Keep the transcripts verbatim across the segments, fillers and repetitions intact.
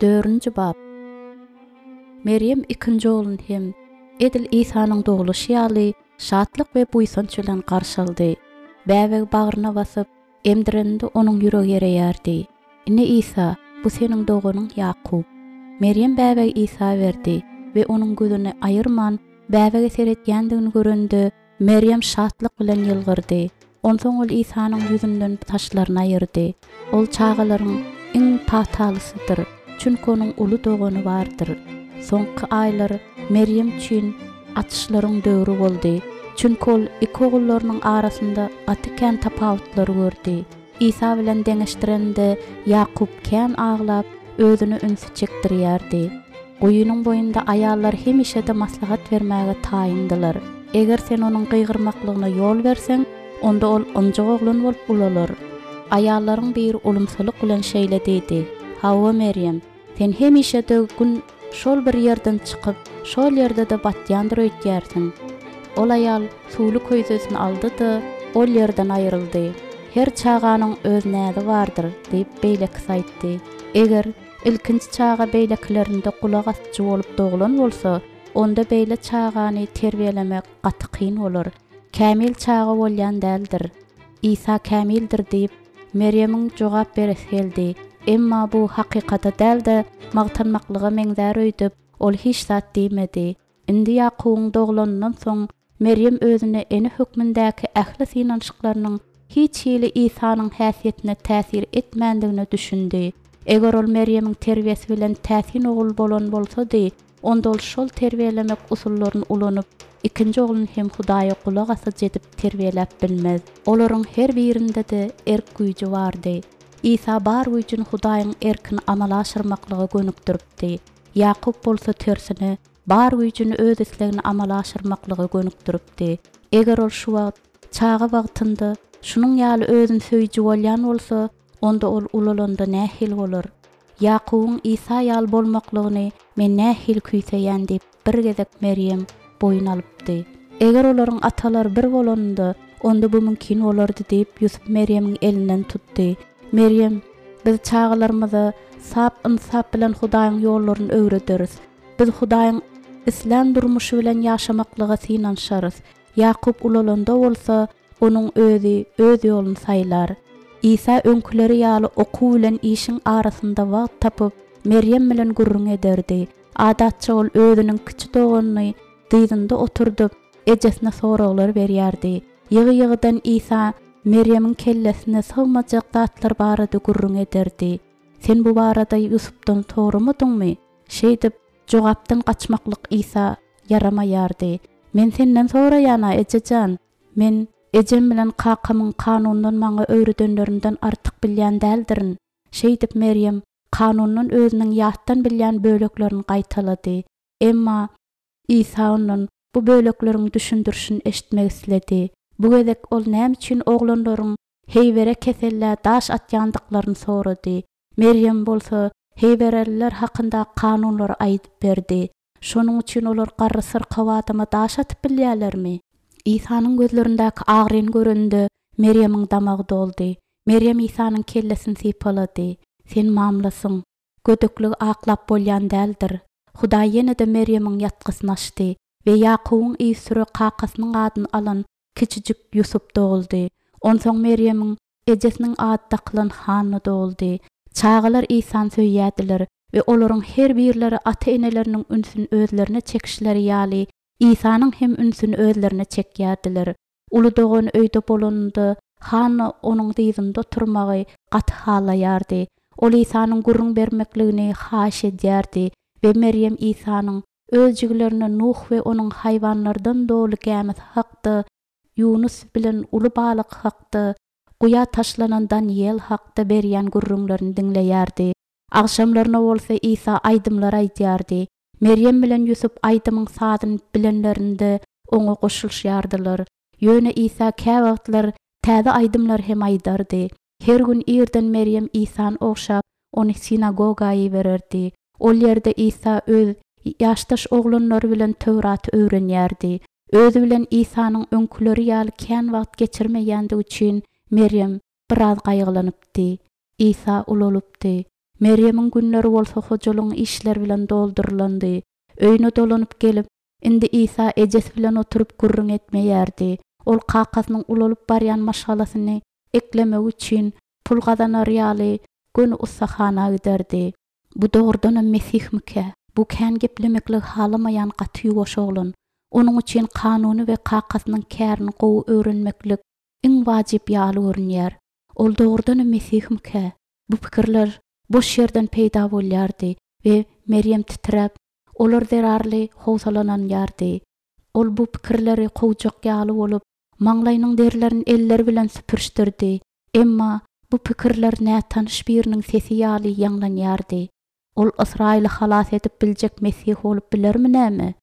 Dördünji bap. Merýem ikinji ogluny hem edil Isanyň dogluşy ýaly şatlyk we buýsanç bilen garşy aldy. Bäbegi bagryna basyp, emdireninde onuň ýüregi ereýärdi. Ine Isa, bu seniň doganyň Ýakup. Merýem bäbegi Isa berdi we onuň gözüni aýyrman bäbege seretýändigini görende, Merýem şatlyk bilen ýylgyrdy. Onsoň ol Isanyň ýüzünden saçlaryny aýyrdy. Ol çagalaryň iň patalysydyr, çünki onuň uly dogany bardyr. Soňky aýlar Merýem üçin açyşlaryň döwri boldy. Çünki ol iki ogullarynyň arasynda gaty kän tapawutlary gördi. Isa bilen deňeşdirende Ýakup kän aglap, özüne ünsi çekdirýärdi. Guýynyň boýunda aýallar hemişe-de maslahat bermäge taýyndylar. Eger sen onuň gygyrmaklygyna ýol berseň, onda ol ynjyk oglan bolup ulalar. Aýallaryň biri ulumsylyk bilen şeýle diýdi: "Hawa, Merýem, sen hemişe-de gün şol bir ýerden çykyp, şol ýerde-de batýandyr öýtýärsiň." Ol aýal suwly köýzesini aldy-da, ol ýerden aýryldy. Her çaganyň öz näzi bardyr, diýip beýlekisi aýtdy. Eger ilkinji çaga beýlekilerinde gulak asyjy bolup doglan bolsa, onda beýle çagany terbiýelemek gaty kyn bolar. Kämil çaga bolýan däldir. Isa kämildir diýip, Merýemiň jogap beresi geldi. Emma bu hakykata däl-de, magtanmaklyga meňzär öýdüp, ol hiç zat diýmedi. Indi Ýakubyň doglanyndan soň Merýem özüne ene hökmündäki ähli synanyşyklarynyň hiç hili Isanyň häsiýetine täsir etmändigine düşündi. Eger ol Merýemiň terbiýesi bilen täsin ogul bolan bolsady, onda ol şol terbiýelemek usullaryny ulanyp, ikinji ogluny hem Hudaýa gulak asyjy edip terbiýeläp bilmez. Olaryň her birinde-de erk güýji bardy. Isa bar güýjüni Hudaýyň erkini amala aşyrmaklyga gönükdiripdi. Ýakup bolsa tersine bar güýjüni öz islegini amala aşyrmaklyga gönükdiripdi. Eger ol şu wagt çaga wagtynda şunuň ýaly özüni söýüji bolýan bolsa, onda ol ulalanda nähili bolar? Ýakubyň Isa ýaly bolmaklygyny men nähili küýseýän diýip bir gezek Merýem boýun alypdy. Eger olaryň atalary bir bolanynda, onda bu mümkin bolardy diýip Ýusup Merýemiň elinden tutdy. Merýem, biz çagalarymyza sap ynsap bilen Hudaýyň ýollaryny öwrederis. Biz Hudaýyň islän durmuşy bilen ýaşamaklyga synanyşarys. Ýakup ulalanda bolsa, onuň özi öz ýoluny saýlar. Isa öňküleri ýaly okuw bilen işiň arasynda wagt tapyp, Merýem bilen gürrüň ederdi. Adatça ol özüniň kiçi doganyny dyzynda oturdyp, ejesine soraglar berýärdi. Ýygy-ýygydan Isa Merýemiň kellesine sygmajak zatlar barada gürrüň ederdi. Sen bu barada Ýusupdan soramadyňmy? Şeýdip, jogapdan gaçmaklyk Isa ýaramaýardy. Men senden soraýan-a, ejejan. Men ejem bilen kakamyň kanundan maňa öwredenlerinden artyk bilýän däldirin. Şeýdip Merýem kanundan özüniň ýatdan bilýän böleklerini gaýtalady. Emma Isa ondan bu bölekleriň düşündirişini eşitmek isledi. Bu gezek ol näme üçin oglanlaryň heýwere kesellä daş atýandyklaryny sorady. Merýem bolsa heýwereliler hakynda kanunlary aýdyp berdi. Şonuň üçin olar garry syrkaw adama daş atyp bilýärlermi? Isanyň gözlerindäki agryny görende Merýemiň damagy doldy. Merýem Isanyň kellesini sypalady. Sen mamlasyň. Gödekligi aklap bolýan däldir. Hudaý ýene-de Merýemiň ýatgysyny açdy we Ýakubyň yzsüre kakasynyň adyny alan kiçijik Ýusup doguldy. Onsoň Merýemiň ejesiniň ady dakylan Hanna doguldy. Çagalar Isany söýýärdiler we olaryň her birleri ata-eneleriniň ünsüni özlerine çekişleri ýaly Isanyň hem ünsüni özlerine çekýärdiler. Uly dogany öýde bolanynda Hanna onuň dyzynda oturmagy gaty halaýardy. Ol Isanyň gürrüň bermekligini haýyş edýärdi we Merýem Isanyň öz jigilerine Nuh we onuň haýwanlardan doly gämisi hakda, Ýunus bilen uly balyk hakda, guýa taşlanan Daniýel hakda berýän gürrüňlerini diňleýärdi. Agşamlaryna bolsa Isa aýdymlar aýdýardy. Merýem bilen Ýusup aýdymyň sazyny bilenlerinde oňa goşulyşýardylar. Ýöne Isa käwagtlar täze aýdymlar hem aýdardy. Her gün irden Merýem Isany ogşap, ony sinagoga ibererdi. Ol ýerde Isa öz ýaşdaş oglanlary bilen Töwraty öwrenýärdi. Özi bilen Isanyň öňküleri ýaly kän wagt geçirmeýändigi üçin Merýem biraz gaýgylanypdy. Isa ulalypdy. Merýemiň günleri bolsa hojalygyň işleri bilen doldurylandy. Öýüne dolanyp gelip, indi Isa ejesi bilen oturyp gürrüň etmeýärdi. Ol kakasynyň ulalyp barýan maşgalasyny eklemek üçin pul gazanar ýaly göni ussahana giderdi. Bu dogrudanam Mesihmikä? Bu kän geplemekligi halamaýan gaty ýuwaş oglan. Onuň üçin kanuny we kakasynyň kärini gowy öwrenmeklik iň wajyp ýaly görünýär. Ol dogrudanam Mesihmikä? Bu pikirler boş ýerden peýda bolýardy we Merýem titräp, olar zerarly howsalananýardy. Ol bu pikirleri kowjak ýaly bolup, maňlaýynyň derlerini elleri bilen süpürişdirdi. Emma bu pikirler nätanyş biriniň sesi ýaly ýaňlanýardy. Ol Ysraýyly halas edip biljek Mesih bolup bilermi näme?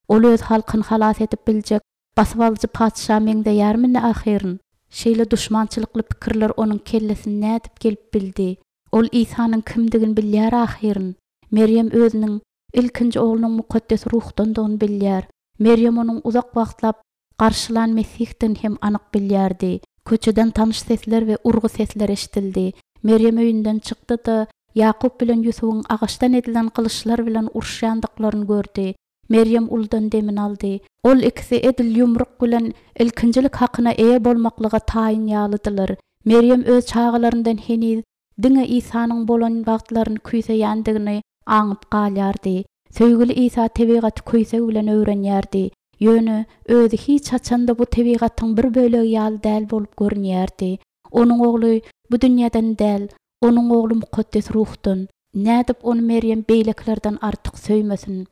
Ol öz halkyny halas edip biljek basybalyjy patyşa meňzeýärmi ne ahyryn? Şeýle duşmançylykly pikirler onuň kellesine nädip gelip bildi? Ol Isanyň kimdigini bilýär ahyryn. Merýem özüniň ilkinji oglunyň mukaddes ruhdandygyny bilýär. Merýem onuň uzak wagtlap garşylan Mesihdigini hem anyk bilýärdi. Köçeden tanyş sesler we urgy sesleri eşidildi. Merýem öýünden çykdy-da, Ýakup bilen Ýusubyň agaçdan edilen gylyçlar bilen uruşýandyklaryny gördi. Merýem uludan demini aldy. Ol ikisi edil ýumruk bilen ilkinjilik hakyna eýe bolmaklyga taýyn ýalydylar. Merýem öz çagalaryndan heniz diňe Isanyň bolan wagtlaryny küýseýändigini aňyp galýardy. Söýgüli Isa tebigaty küýseg bilen öwrenýärdi. Ýöne özi hiç haçan-da bu tebigatyň bir bölegi ýaly däl bolup görünýärdi. Onuň ogly bu dünýeden däl, onuň ogly mukaddes ruhdan. Nädip ony Merýem beýlekilerden artyk söýmesin?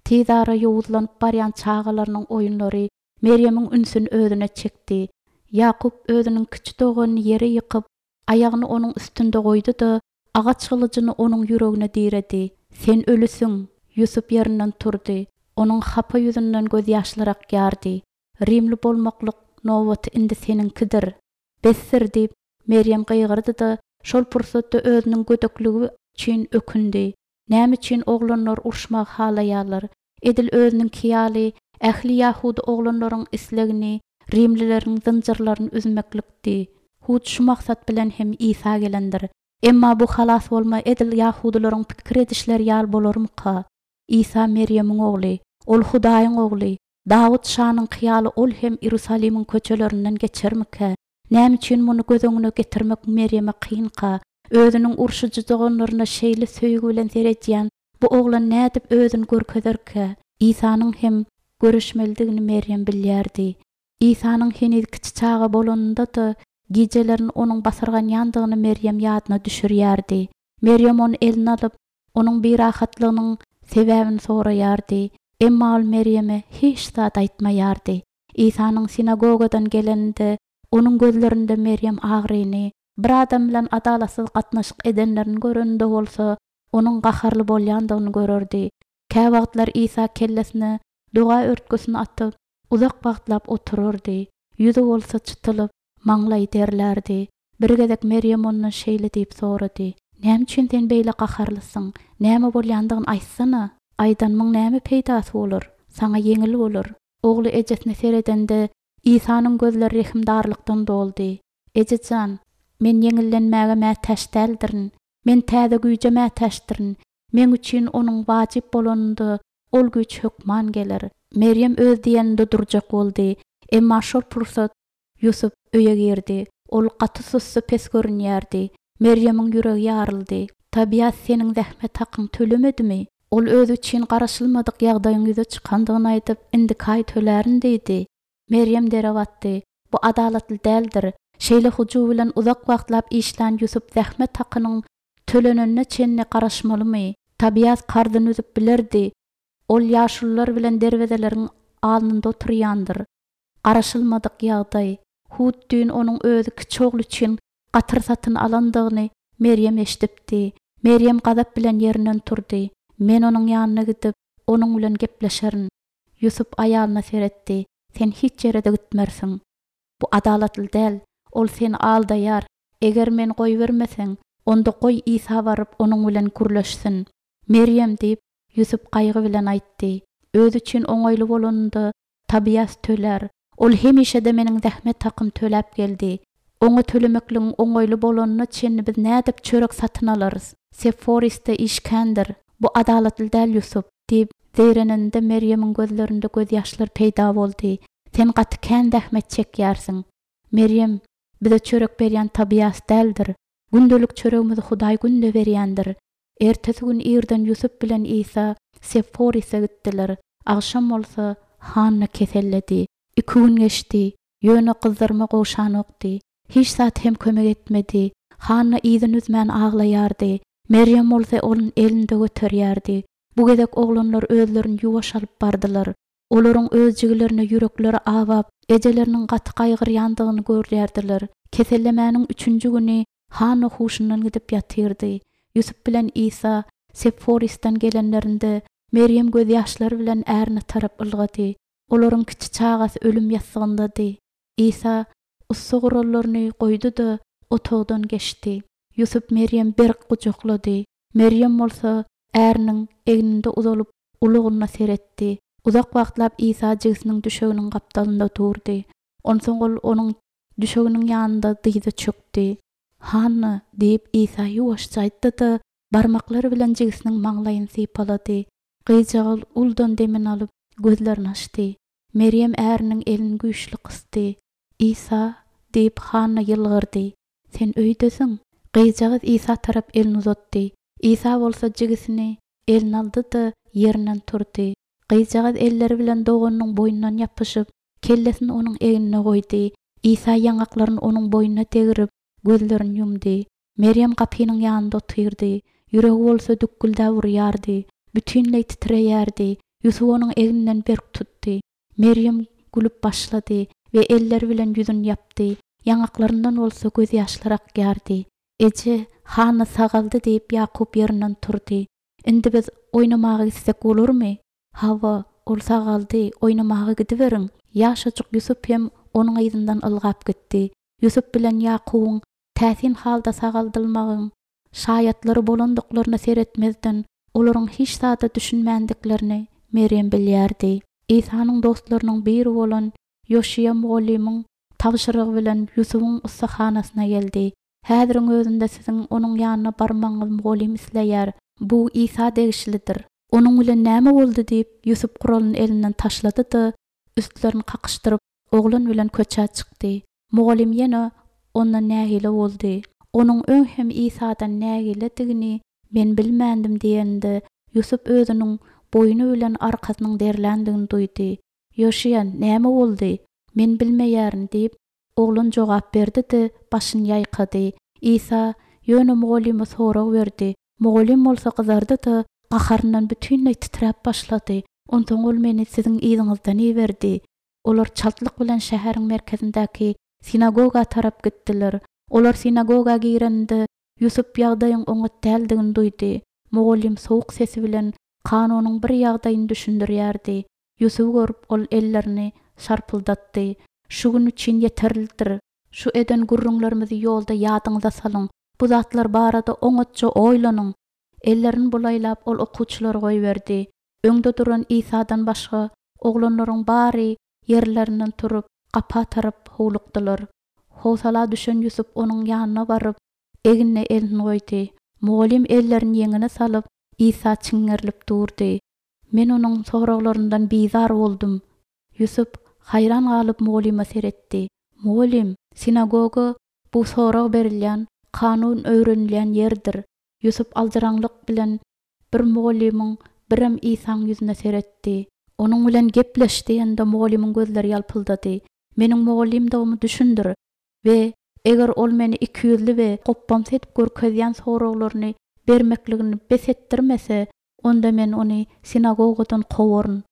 Tizara ýowuzlanyp barýan çagalarynyň oýunlary Merýemiň ünsüni özüne çekdi. Ýakup özüniň kiçi doganyny ýere ýykyp, aýagyny onuň üstünde goýdy-da, agaç gylyjyny onuň ýüregine diredi. Sen ölüsiň! Ýusup ýerinden turdy. Onuň hapa ýüzünden gözýaşlar akýardy. Rimli bolmaklyk nobaty indi seniňkidir. Besdir! diýip, Merýem gygyrdy-da, şol pursatda özüniň gödekligi üçin ökündi. Näme üçin oglanlar uruşmagy halaýarlar? Edil özüniňki ýaly, ähli ýahudy oglanlaryň islegini rimlileriň zynjyrlaryny üzmeklikdi. Hut şu maksat bilen hem Isa gelendir. Emma bu halas bolma edil ýahudylaryň pikir edişleri ýaly bolarmyka? Isa Merýemiň ogly, ol Hudaýyň ogly. Dawut şanyňky ýaly ol hem Iýerusalimiň köçelerinden geçermikä? Näme üçin muny göz öňüne getirmek Merýeme kynka? Özüniň urşujy doganlaryna şeýle söýgi bilen seredýän bu oglan nädip özüni görkezerkä? Isanyň hem görüşmelidigini Merýem bilýärdi. Isanyň heniz kiçi çaga bolanynda-da gijelerini onuň basyrganýandygyny Merýem ýadyna düşürýärdi. Merýem ony eline alyp, onuň birahatlygynyň sebäbini soraýardy. Emma ol Merýeme hiç zat aýtmaýardy. Isanyň sinagogadan geleninde onuň gözlerinde Merýem agryny, bir adam bilen adalatsyz gatnaşyk edenlerini göreninde bolsa, onuň gaharly bolýandygyny görerdi. Käwagtlar Isa kellesine doga örtgüsini atyp, uzak wagtlap oturardy. Ýüzi bolsa çytylyp, maňlaýy derlärdi. Bir gezek Merýem ondan şeýle diýip sorady: Näme üçin sen beýle gaharlysyň? Näme bolýandygyny aýtsana. Aýdanymyň näme peýdasy bolar? Saňa ýeňil bolar. Ogly ejesine seredende, Isanyň gözleri rehimdarlykdan doldy. Ejejan, men ýeňillenmäge mätäç däldirin. Men täze güýje mätäçdirin. Meň üçin onuň wajyp bolanynda ol güýç hökman geler. Merýem öz diýeninde durjak boldy. Emma şol pursat Ýusup öýe girdi. Ol gaty sussy pes görünýärdi. Merýemiň ýüregi ýaryldy. Tobias seniň zähmet hakyňy tölemedimi? Ol özi üçin garaşylmadyk ýagdaýyň ýüze çykandygyny aýdyp, indiki aý tölärin diýdi. Merýem dere batdy. Bu adalatly däldir. Şeýle hyjuw bilen uzak wagtlap işlän Ýusup zähmet hakynyň tölenenine çenli garaşmalymy? Tobias karzyny üzüp bilerdi. Ol ýaşulular bilen derwezeleriň alnynda oturýandyr. Garaşylmadyk ýagdaý. Hut düýn onuň özi kiçi ogly üçin gatyr satyn alandygyny Merýem eşidipdi. Merýem gazap bilen ýerinden turdy. Men onuň ýanyna gidip, onuň bilen gepleşerin. Ýusup aýalyna seretdi. Sen hiç ýere-de gitmersiň. Bu adalatly däl. Ol seni aldaýar. Eger meni goýbermeseň, onda goý Isa baryp onuň bilen gürleşsin. Merýem diýip, Ýusup gaýgy bilen aýtdy. Özi üçin oňaýly bolanynda Tobias tölär. Ol hemişe-de meniň zähmet hakym töläp geldi. Oňa tölemekligiň oňaýly bolanyna çenli biz nädip çörek satyn alarys? Seforisde iş kändir. Bu adalatly däl Ýusup, diýip, zeýrenende Merýemiň gözlerinde gözýaşlar peýda boldy. Sen gaty kän zähmet çekýärsiň. Merýem, bize çörek berýän Tobias däldir. Gündelik çöregimizi Hudaý günde berýändir. Ertesi gün irden Ýusup bilen Isa Seforise gitdiler. Agşam bolsa Hanna keselledi. Iki gün geçdi. Ýöne gyzdyrma gowşanokdy. Hiç zat hem kömek etmedi. Hanna yzyny üzmän aglaýardy. Merýem bolsa onuň elinde göterýärdi. Bu gezek oglanlar özlerini ýuwaş alyp bardylar. Olaryň öz jigilerine ýürekleri awap, ejeleriniň gaty gaýgyrýandygyny görýärdiler. Kesellemäniň üçünji güni Hanna huşundan gidip ýatyrdy. Ýusup bilen Isa Seforisden gelenlerinde Merýem gözýaşlary bilen ärine tarap ylgady. Olaryň kiçi çagasy ölüm ýassygyndady. Isa ussa gurallaryny goýdy-da otagdan geçdi. Ýusup Merýem berk gujaklady. Merýem bolsa äriniň egninde uzalyp ulugyna seretdi. Uzak wagtlap Isa jigisiniň düşeginiň gapdalynda durdy. Onsoň ol onuň düşeginiň ýanynda dyza çökdi. Hanna diýip Isa ýuwaşja aýtdy-da, barmaklary bilen jigisiniň maňlaýyny sypalady. Gyzjagaz uldan demini alyp, gözlerini açdy. Merýem äriniň elini güýçli gysdy. Isa diýip Hanna ýylgyrdy. Sen öýdesiň? Gyzjagaz Isa tarap elini uzatdy. Isa bolsa jigisini eline aldy-da ýerinden turdy. Gyzjagaz elleri bilen doganynyň boýnundan ýapyşyp, kellesini onuň egnine goýdy. Isa ýaňaklaryny onuň boýnuna degirip, gözlerini ýumdy. Merýem gapynyň ýanynda otyrdy. Ýüregi bolsa dükgüldäp urýardy. Bütinleý titreýärdi. Ýusup onuň egninden berk tutdy. Merýem gülüp başlady we elleri bilen ýüzüni ýapdy. Ýaňaklaryndan bolsa gözýaşlar akýardy. Eje, Hanna sagaldy diýip Ýakup ýerinden turdy. Indi biz oýnamaga gitsek bolarmy? Hawa, ol sagaldy, oýnamaga gidiberiň. Ýaşajyk Ýusup hem onuň yzyndan ylgap gitdi. Ýusup bilen Ýakubyň täsin halda sagaldylmagyň şaýatlary bolandyklaryna seretmezden, olaryň hiç zada düşünmändiklerini Merýem bilýärdi. Isanyň dostlarynyň biri bolan Ýoşiýa mugallymyň tabşyrygy bilen Ýusubyň ussahanasyna geldi. Häziriň özünde siziň onuň ýanyna barmagyňyzy mugallym isleýär. Bu Isa degişlidir. Onuň bilen näme boldy diýip, Ýusup guralyny elinden taşlady-da, üstlerini kakyşdyryp, oglan bilen köçä çykdy. Mugallym ýene ondan nägile boldy. Onuň öň hem Isadan nägiledigini men bilmändim diýende, Ýusup özüniň boýny bilen arkasynyň derländigini duýdy. Ýoşiýa, näme boldy? Men bilmeýärin diýip, oglan jogap berdi-de, başyny ýaýkady. Isa ýöne mugallyma sorag berdi. Mugallym bolsa gyzardy-da, gaharyndan bütinleý titräp başlady. Onsoň ol meni siziň yzyňyzdan iberdi. Olar çaltlyk bilen şäheriň merkezindäki sinagoga tarap gitdiler. Olar sinagoga girende Ýusup ýagdaýyň oňat däldigini duýdy. Mugallym sowuk sesi bilen kanunyň bir ýagdaýyny düşündirýärdi. Ýusuby görüp ol ellerini şarpyldatdy. Şu gün üçin ýeterlidir. Şu eden gürrüňlerimizi ýolda ýadyňyza salyň. Bu zatlar barada oňatja oýlanyň. Ellerini bulaýlap ol okuwçylary goýberdi. Öňde duran Isadan başga oglanlaryň bary ýerlerinden turup, gapa tarap howlukdylar. Howsala düşen Ýusup onuň ýanyna baryp, egnine elini goýdy. Mugallym ellerini ýeňine salyp, Isa çiňňerilip durdy. Men onuň soraglaryndan bizar boldum. Ýusup haýran galyp mugallyma seretdi. Mugallym, sinagoga bu sorag berilýän, kanun öwrenilýän ýerdir. Ýusup aljyraňlyk bilen bir mugallymyň birem Isaň ýüzüne seretdi. Onuň bilen gepleş diýende mugallymyň gözleri ýalpyldady. Meniň mugallymdygymy düşündir we eger ol meni iki ýüzli we gopbamsy edip görkezýän soraglaryny bermekligini bes etdirmese, onda men ony sinagogadan kowaryn.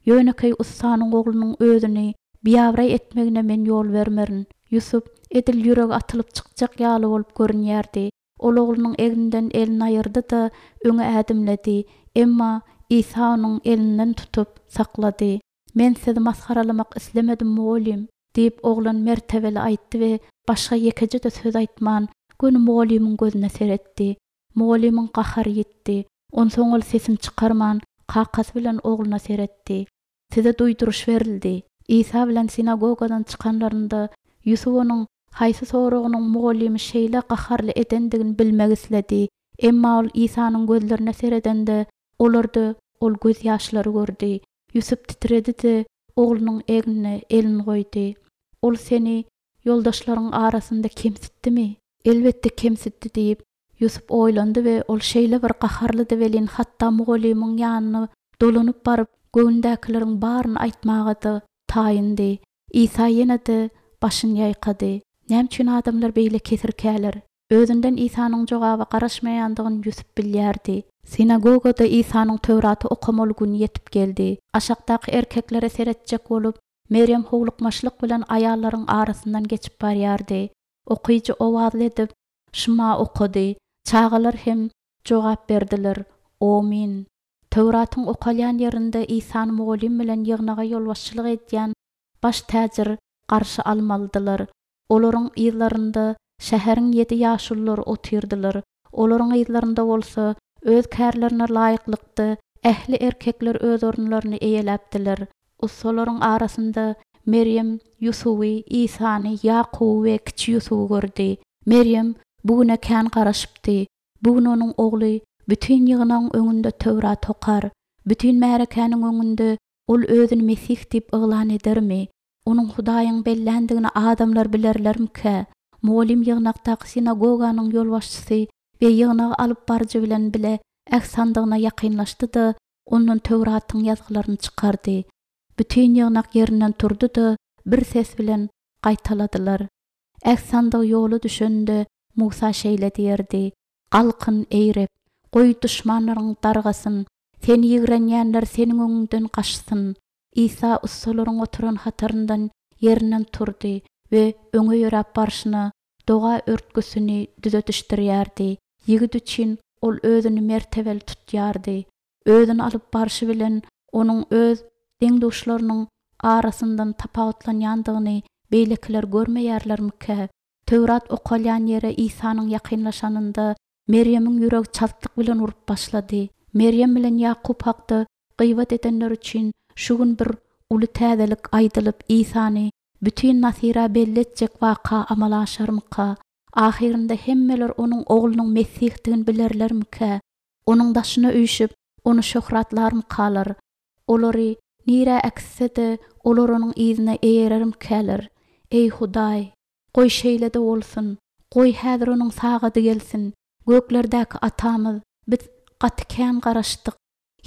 Ýönekeý ussanyň oglunyň özüni biabraý etmegine men ýol bermerin. Ýusup edil ýüregi atylyp çykjak ýaly bolup görünýärdi. Ol oglunyň egninden elini aýyrdy-da, öňe ädimledi. Emma Isa onuň elinden tutup saklady. Men sizi masgaralamak islemedim mugallym, diýip oglan mertebeli aýtdy we başga ýekeje-de söz aýtman, göni mugallymyň gözüne seretdi. Mugallymyň gahary ýetdi. Onsoň ol sesini çykarman, kakasy bilen ogluna seretdi. Size duýduryş berildi. Isa bilen sinagogadan çykanlarynda Ýusup onuň haýsy soragynyň mugallymy şeýle gaharly edendigini bilmek isledi. Emma ol Isanyň gözlerine seredende, olarda ol gözýaşlary gördi. Ýusup titredi-de, oglunyň egnine elini goýdy. Ol seni ýoldaşlaryň arasynda kemsitdimi? Elbetde kemsitdi diýip, Ýusup oýlandy we ol şeýle bir gaharlydy welin hatda mugallymyň ýanyna dolanyp baryp, göwündäkileriň baryny aýtmaga-da taýyndy. Isa ýene-de başyny ýaýkady. Näme üçin adamlar beýle kesirkäler? Özünden Isanyň jogaba garaşmaýandygyny Ýusup bilýärdi. Sinagogada Isanyň Töwraty okamaly güni ýetip geldi. Aşakdaky erkeklere seretjek bolup, Meryem howlukmaçlyk bilen aýallaryň arasyndan geçip barýardy. Okyjy owazly edip, Şuma okady. Çagalar hem jogap berdiler. Amin. Töwratyň okalýan ýerinde Isany mugallym bilen ýygnaga ýolbaşçylyk edýän baş täjir garşy almalydylar. Olaryň yzlarynda şäheriň ýedi ýaşululary otyrdylar. Olaryň yzlarynda bolsa öz kärlerine laýyklykda ähli erkekler öz orunlaryny eýeläpdiler. Ussalaryň arasynda Meryem Ýusuby, Isany, Ýakuby we kiçi Ýusuby gördi. Meryem bu güne kän garaşypdy. Bu gün onuň ogly bütün ýygnagyň öňünde Töwrat okar. Bütün märekäniň öňünde ol özüni Mesih diýip yglan edermi? Onuň Hudaýyň belländigini adamlar bilerlermikä? Mugallym ýygnakdaky sinagoganyň ýolbaşçysy we ýygnagy alyp baryjy bilen bile äht sandygyna ýakynlaşdy-da, ondan Töwratyň ýazgylaryny çykardy. Bütün ýygnak ýerinden turdy-da, bir ses bilen gaýtaladylar. Äht sandygy ýola düşende Musa şeýle diýerdi: Galkyn eý Reb, goý duşmanlaryň dargasyn, seni ýigrenýänler seniň öňüňden gaçsyn. Isa ussalaryň oturan hataryndan ýerinden turdy we öňe ýöräp barşyna doga örtgüsini düzetişdirýärdi. Ýigit üçin ol özüni mertebeli tutýardy. Özüni alyp barşy bilen onuň öz deň-duşlarynyň arasyndan tapawutlanýandygyny beýlekiler görmeýärlermikä? Töwrat okalýan ýere Isanyň ýakynlaşanynda Meryemiň ýüregi çaltlyk bilen urup başlady. Meryem bilen Ýakup hakda gyýbat edenler üçin şu gün bir uly täzelik aýdylyp Isany bütün Nasira belli etjek waka amala aşarmyka? Ahyrynda hemmeler onuň oglunyň Mesihdigini bilerlermikä? Onuň daşyna üýşüp, ony şöhratlarmykalar? Olary nirä äkitse-de, olar onuň yzyna eýerermikäler? Eý Hudaý, goý şeýle-de bolsun. Goý häzir onuň sagady gelsin. Göklerdäki atamyz, biz gaty kän garaşdyk.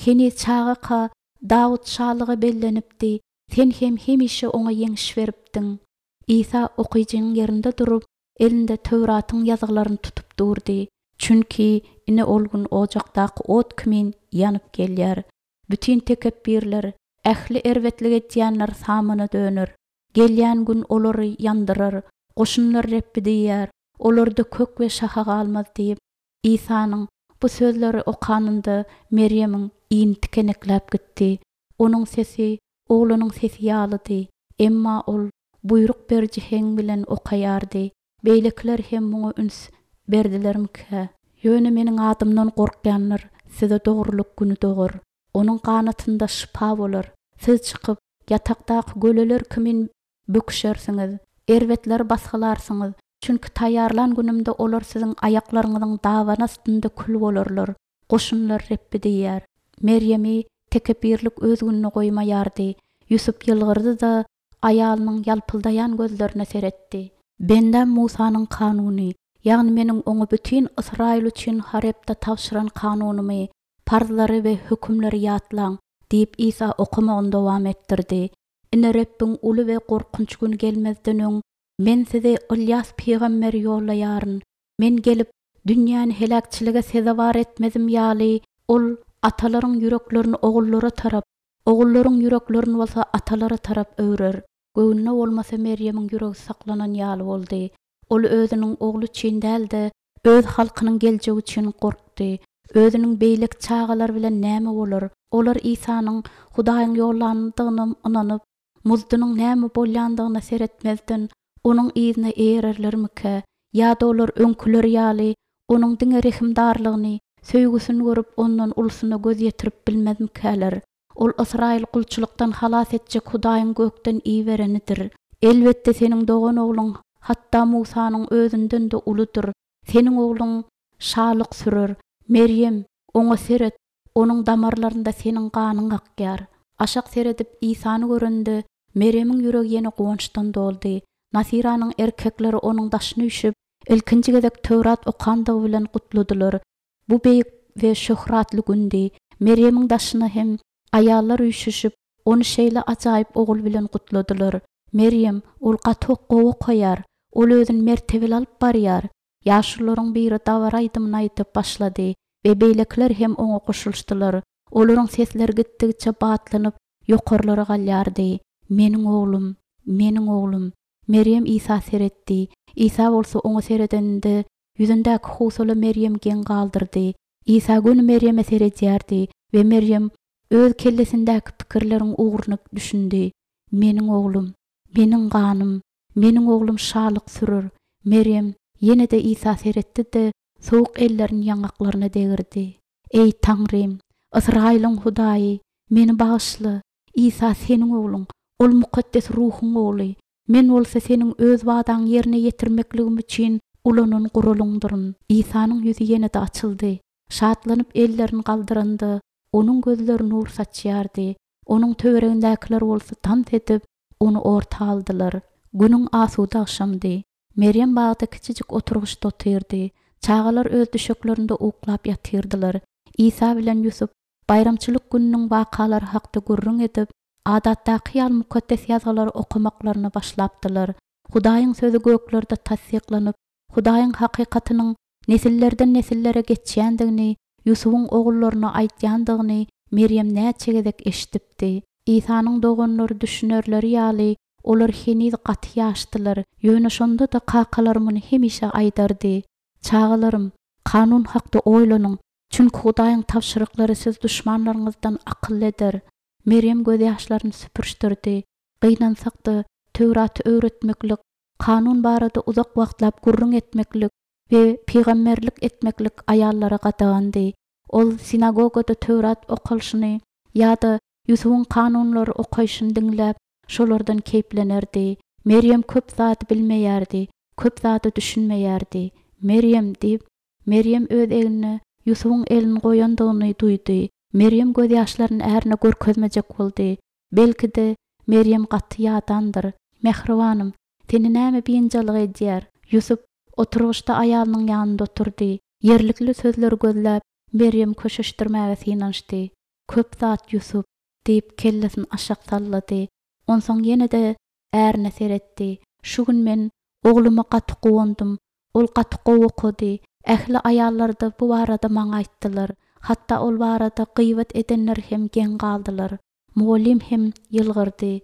Heniz çagaka Dawut şalyga bellenipdi. Sen hem hemişe oňa ýeňiş beripdiň. Isa okyjynyň ýerinde durup, elinde Töwratyň ýazgylaryny tutup durdy. Çünki ine ol gün ojakdaky ot kimin ýanyp gelýär. Bütün tekepbirler, ähli erbetlik etýänler samana döner. Gelýän gün olary ýandyrar. Goşunlar Rebbi diýýär. Olarda kök we şaha galmaz diýip, Isanyň bu sözleri okanynda Meryemiň ini tikenekläp gitdi. Onuň sesi oglunyň sesi ýalydy. Emma ol buýruk beriji heň bilen okaýardy. Beýlekiler hem muňa üns berdilermikä? Ýöne meniň adymdan gorkýanlar size dogrulyk güni dogar. Onuň ganatynda şypa bolar. Siz çykyp ýatakdaky göleler kimin böküşersiňiz, erbetleri basgylarsyňyz. Çünki taýýarlan günümde olar siziň aýaklaryňyzyň dabany astynda kül bolarlar. Goşunlar Rebbi diýýär. Meryemi tekepbirlik öz gününe goýmaýardy. Ýusup ýylgyrdy-da, aýalynyň ýalpyldaýan gözlerine seretdi. Bendäm Musanyň kanuny, ýagny meniň oňa bütün Ysraýyl üçin Harebde tabşyran kanunymy, parzlary we hökümleri ýatlaň diýip Isa okamagyny dowam etdirdi. Ine Rebbiň uly we gorkunç güni gelmezden öň men size Ylýas pygamberi ýollaýaryn. Men gelip dünýäni heläkçilige sezewar etmezim ýaly, ol atalaryň ýüreklerini ogullara tarap, ogullaryň ýüreklerini bolsa atalara tarap öwrer. Göwnüne bolmasa Meryemiň ýüregi saklanan ýaly boldy. Ol özüniň ogly üçin däl-de, öz halkynyň geljegi üçin gorkdy. Özüniň beýleki çagalar bilen näme bolar? Olar Isanyň Hudaýyň ýollandygyna ynanyp, muzdunyň näme bolýandygyna seretmezden onuň yzyna eýererlermikä? Ýa-da olar öňküler ýaly onuň diňe rehimdarlygyny, söýgüsini görüp ondan ulusyna göz ýetirip bilmezmikäler? Ol Ysraýyl gulçulykdan halas etjek Hudaýyň gökden iberenidir. Elbetde seniň dogan ogluň hatda Musanyň özünden-de uludyr. Seniň ogluň şalyk sürer. Merýem, oňa seret, onuň damarlarynda seniň ganyň akýar. Aşak seredip Isany görende, Merýemiň ýüregi ýene guwançdan doldy. Nasyranyň erkekleri onuň daşyna üýşüp, ilkinji gezek Töwrat okandygy bilen gutladylar. Bu beýik we şöhratly gündi. Merýemiň daşyna hem aýallar üýşüşip, ony şeýle ajaýyp ogul bilen gutladylar. Merýem, ol gaty gowy okaýar. Ol özüni mertebeli alyp barýar. Ýaşulularyň biri dabara aýdymyny aýdyp başlady we beýlekiler hem oňa goşulyşdylar. Olaryň sesleri gitdigiçe batlanyp, ýokarlara galýardy. Meniň oglum, meniň oglum. Merýem Isa seretdi. Isa bolsa oňa seredeninde, ýüzündäki howsala Merýemi geň galdyrdy. Isa göni Merýeme seredýärdi we Merýem öz kellesindäki pikirleriň ugruny düşündi. Meniň oglum, meniň ganym, meniň oglum şalyk sürer. Merýem ýene-de Isa seretdi-de, sowuk ellerini ýaňaklaryna degirdi. Eý, Taňrym, Ysraýylyň Hudaýy, meni bagyşla. Isa seniň ogluň, ol mukaddes ruhuň ogly. Men bolsa seniň öz wadaňy ýerine ýetirmekligim üçin ulanan guralyňdyryn. Isanyň ýüzi ýene-de açyldy. Şatlanyp ellerini galdyranda, onuň gözleri nur saçýardy. Onuň töweregindäkiler bolsa tans edip, ony orta aldylar. Günüň asuda agşamdy. Merýem bagda kiçijik oturgyçda otyrdy. Çagalar öz düşeklerinde uklap ýatyrdylar. Isa bilen Ýusup baýramçylyk gününiň wakalary hakda gürrüň edip, adatdaky ýaly mukaddes ýazgylary okamaklaryna başlapdylar. Hudaýyň sözi göklerde tassyklanyp, Hudaýyň hakykatynyň nesillerden nesillere geçýändigini, Ýusubyň ogullaryna aýdýandygyny Merýem näçe gezek eşidipdi. Isanyň doganlary düşünerleri ýaly, olar heniz gaty ýaşdylar, ýöne şonda-da kakalary muny hemişe aýdardy. Çagalarym, kanun hakda oýlanyň, çünki Hudaýyň tabşyryklary siz duşmanlaryňyzdan akylly eder. Merýem gözýaşlaryny süpürişdirdi. Gynansak-da, Töwraty öwretmeklik, kanun barada uzak wagtlap gürrüň etmeklik we pygamberlik etmeklik aýallara gadagandy. Ol sinagogada Töwrat okalyşyny ýa-da Ýusubyň kanunlary okaýşyny diňläp, şolardan keýplenerdi. Merýem köp zady bilmeýärdi, köp zada düşünmeýärdi. Merýem diýip, Merýem öz egnine Ýusubyň elini goýandygyny duýdy. Merýem gözýaşlaryny ärine görkezmejek boldy. Belki-de, Merýem gaty ýadandyr. Mähribanym, seni näme biynjalyk edýär? Ýusup oturgyçda aýalynyň ýanynda oturdy. Ýerlikli sözleri gözläp, Merýemi köşeşdirmäge synanyşdy. Köp zat, Ýusup, diýip, kellesini aşak sallady. Onsoň ýene-de ärine seretdi. Şu gün men ogluma gaty guwandym. Ol gaty gowy okady. Ähli aýallar-da bu barada maňa aýtdylar. Hatda ol barada gyýbat edenler hem geň galdylar. Mugallym hem ýylgyrdy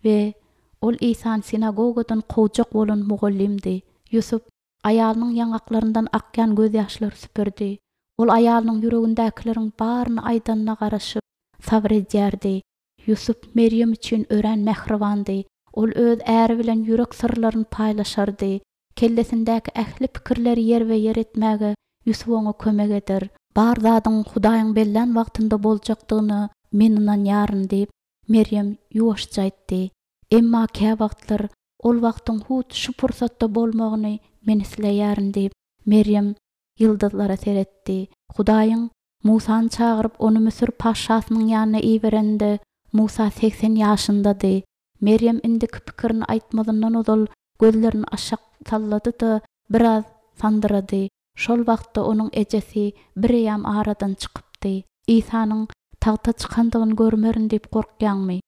we ol Isany sinagogadan kowjak bolan mugallymdy. Ýusup aýalynyň ýaňaklaryndan akýan gözýaşlary süpürdi. Ol aýalynyň ýüregindäkileriň baryny aýdanyna garaşyp, sabyr edýärdi. Ýusup Merýem üçin örän mähribandy. Ol öz äri bilen ýürek syrlaryny paýlaşardy. Kellesindäki ähli pikirleri ýerbe-ýer etmäge Ýusup oňa kömek eder. Bar zadyň Hudaýyň bellän wagtynda boljakdygyna men ynanýaryn diýip, Merýem ýuwaşja aýtdy. Emma käwagtlar ol wagtyň hut şu pursatda bolmagyny men isleýärin diýip, Merýem ýyldyzlara seretdi. Hudaýyň Musany çagyryp, ony Müsür patyşasynyň ýanyna iberende, Musa segsen ýaşyndady. Merýem indiki pikirini aýtmazyndan ozal gözlerini aşak sallady-da, biraz sandyrady. Şol wagtda onuň ejesi bireýýäm aradan çykypdy. Isanyň tagta çykandygyny görmerin diýip gorkýaňmy?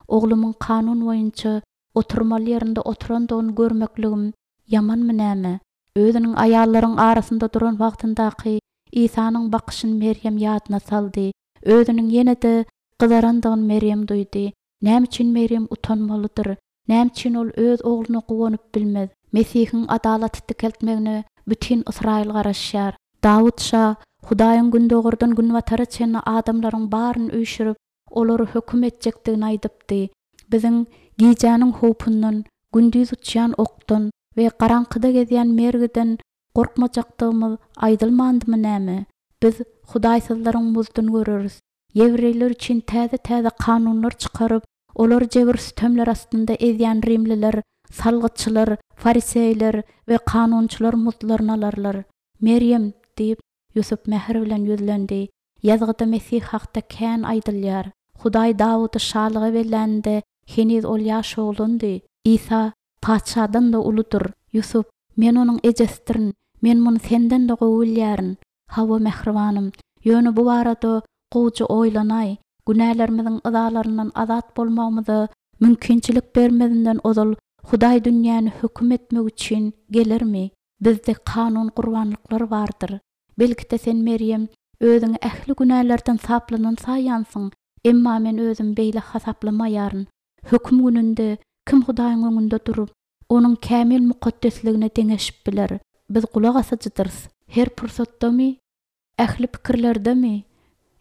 Oglumyň kanun boýunça oturmaly ýerinde oturandygyny görmekligim ýamanmy näme? Özüniň aýallaryň arasynda duran wagtyndaky Isanyň bakyşyny Merýem ýadyna saldy. Özüniň ýene-de gyzarandygyny Merýem duýdy. Näme üçin Merýem utanmalydyr? Näme üçin ol öz ogluna guwanyp bilmez? Mesihiň adalaty dikeltmegine bütin Ysraýyl garaşýar. Dawut şa Hudaýyň gündogardan günbatara çenli adamlaryň baryny üýşürip, olary höküm etjekdigini aýdypdy. Biziň gijäniň howpundan, gündiz uçýan okdan we garaňkyda gezýän mergiden gorkmajakdygymyz aýdylmandymy näme? Biz hudaýsyzlaryň muzduny göreris. Ýewreýler üçin täze-täze kanunlar çykaryp, olary jebir-sütemler astynda ezýän rimliler, salgytçylar, Fariseýler we kanunçylar muztlaryny alarlar. Merýem, diýip, Ýusup mähir bilen ýüzlendi, Ýazgyda Mesih hakda kän aýdylýar. Hudaý Dawudy şalyga belläninde, heniz ol ýaş oglandy. Isa patyşadan-da uludyr. Ýusup, men onuň ejesidirin, men muny senden-de gowy bilýärin. Hawa, mähribanym, ýöne bu barada gowuja oýlanaý. Günälerimiziň yzalaryndan azat bolmagymyza mümkinçilik bermezinden ozal Hudaý dünýäni höküm etmek üçin gelermi? Bizde kanun gurbanlyklar bardyr. Belki-de sen, Merýem, özüňi ähli günälerden saplanan saýýansyň, emma men özümi beýle hasaplamaýaryn. Höküm gününde kim Hudaýyň öňünde durup, Onuň kämil mukaddesligine deňeşip biler? Biz gulak asyjydyrys. Her pursatdamy? Ähli pikirlerdemi?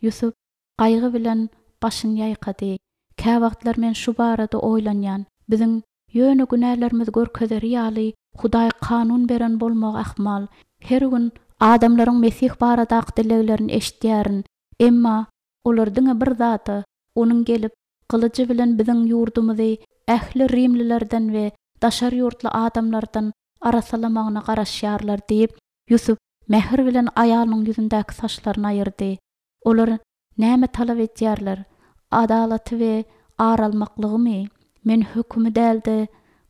Ýusup gaýgy bilen başyny ýaýkady. Käwagtlar men şu barada oýlanýan. Biziň ýöne günälerimizi görkezeri ýaly Hudaý kanun beren bolmagy ahmal. Her gün adamlaryň Mesih baradaky dileglerini eşidýärin. Emma olar diňe bir zada, Onuň gelip, gylyjy bilen biziň ýurdumyzy ähli rimlilerden we daşary ýurtly adamlardan arassalamagyna garaşýarlar diýip, Ýusup mähir bilen aýalynyň ýüzündäki saçlaryny aýyrdy. Olar näme talap edýärler? Adalaty we ar almaklygymy? Men hökümi däl-de,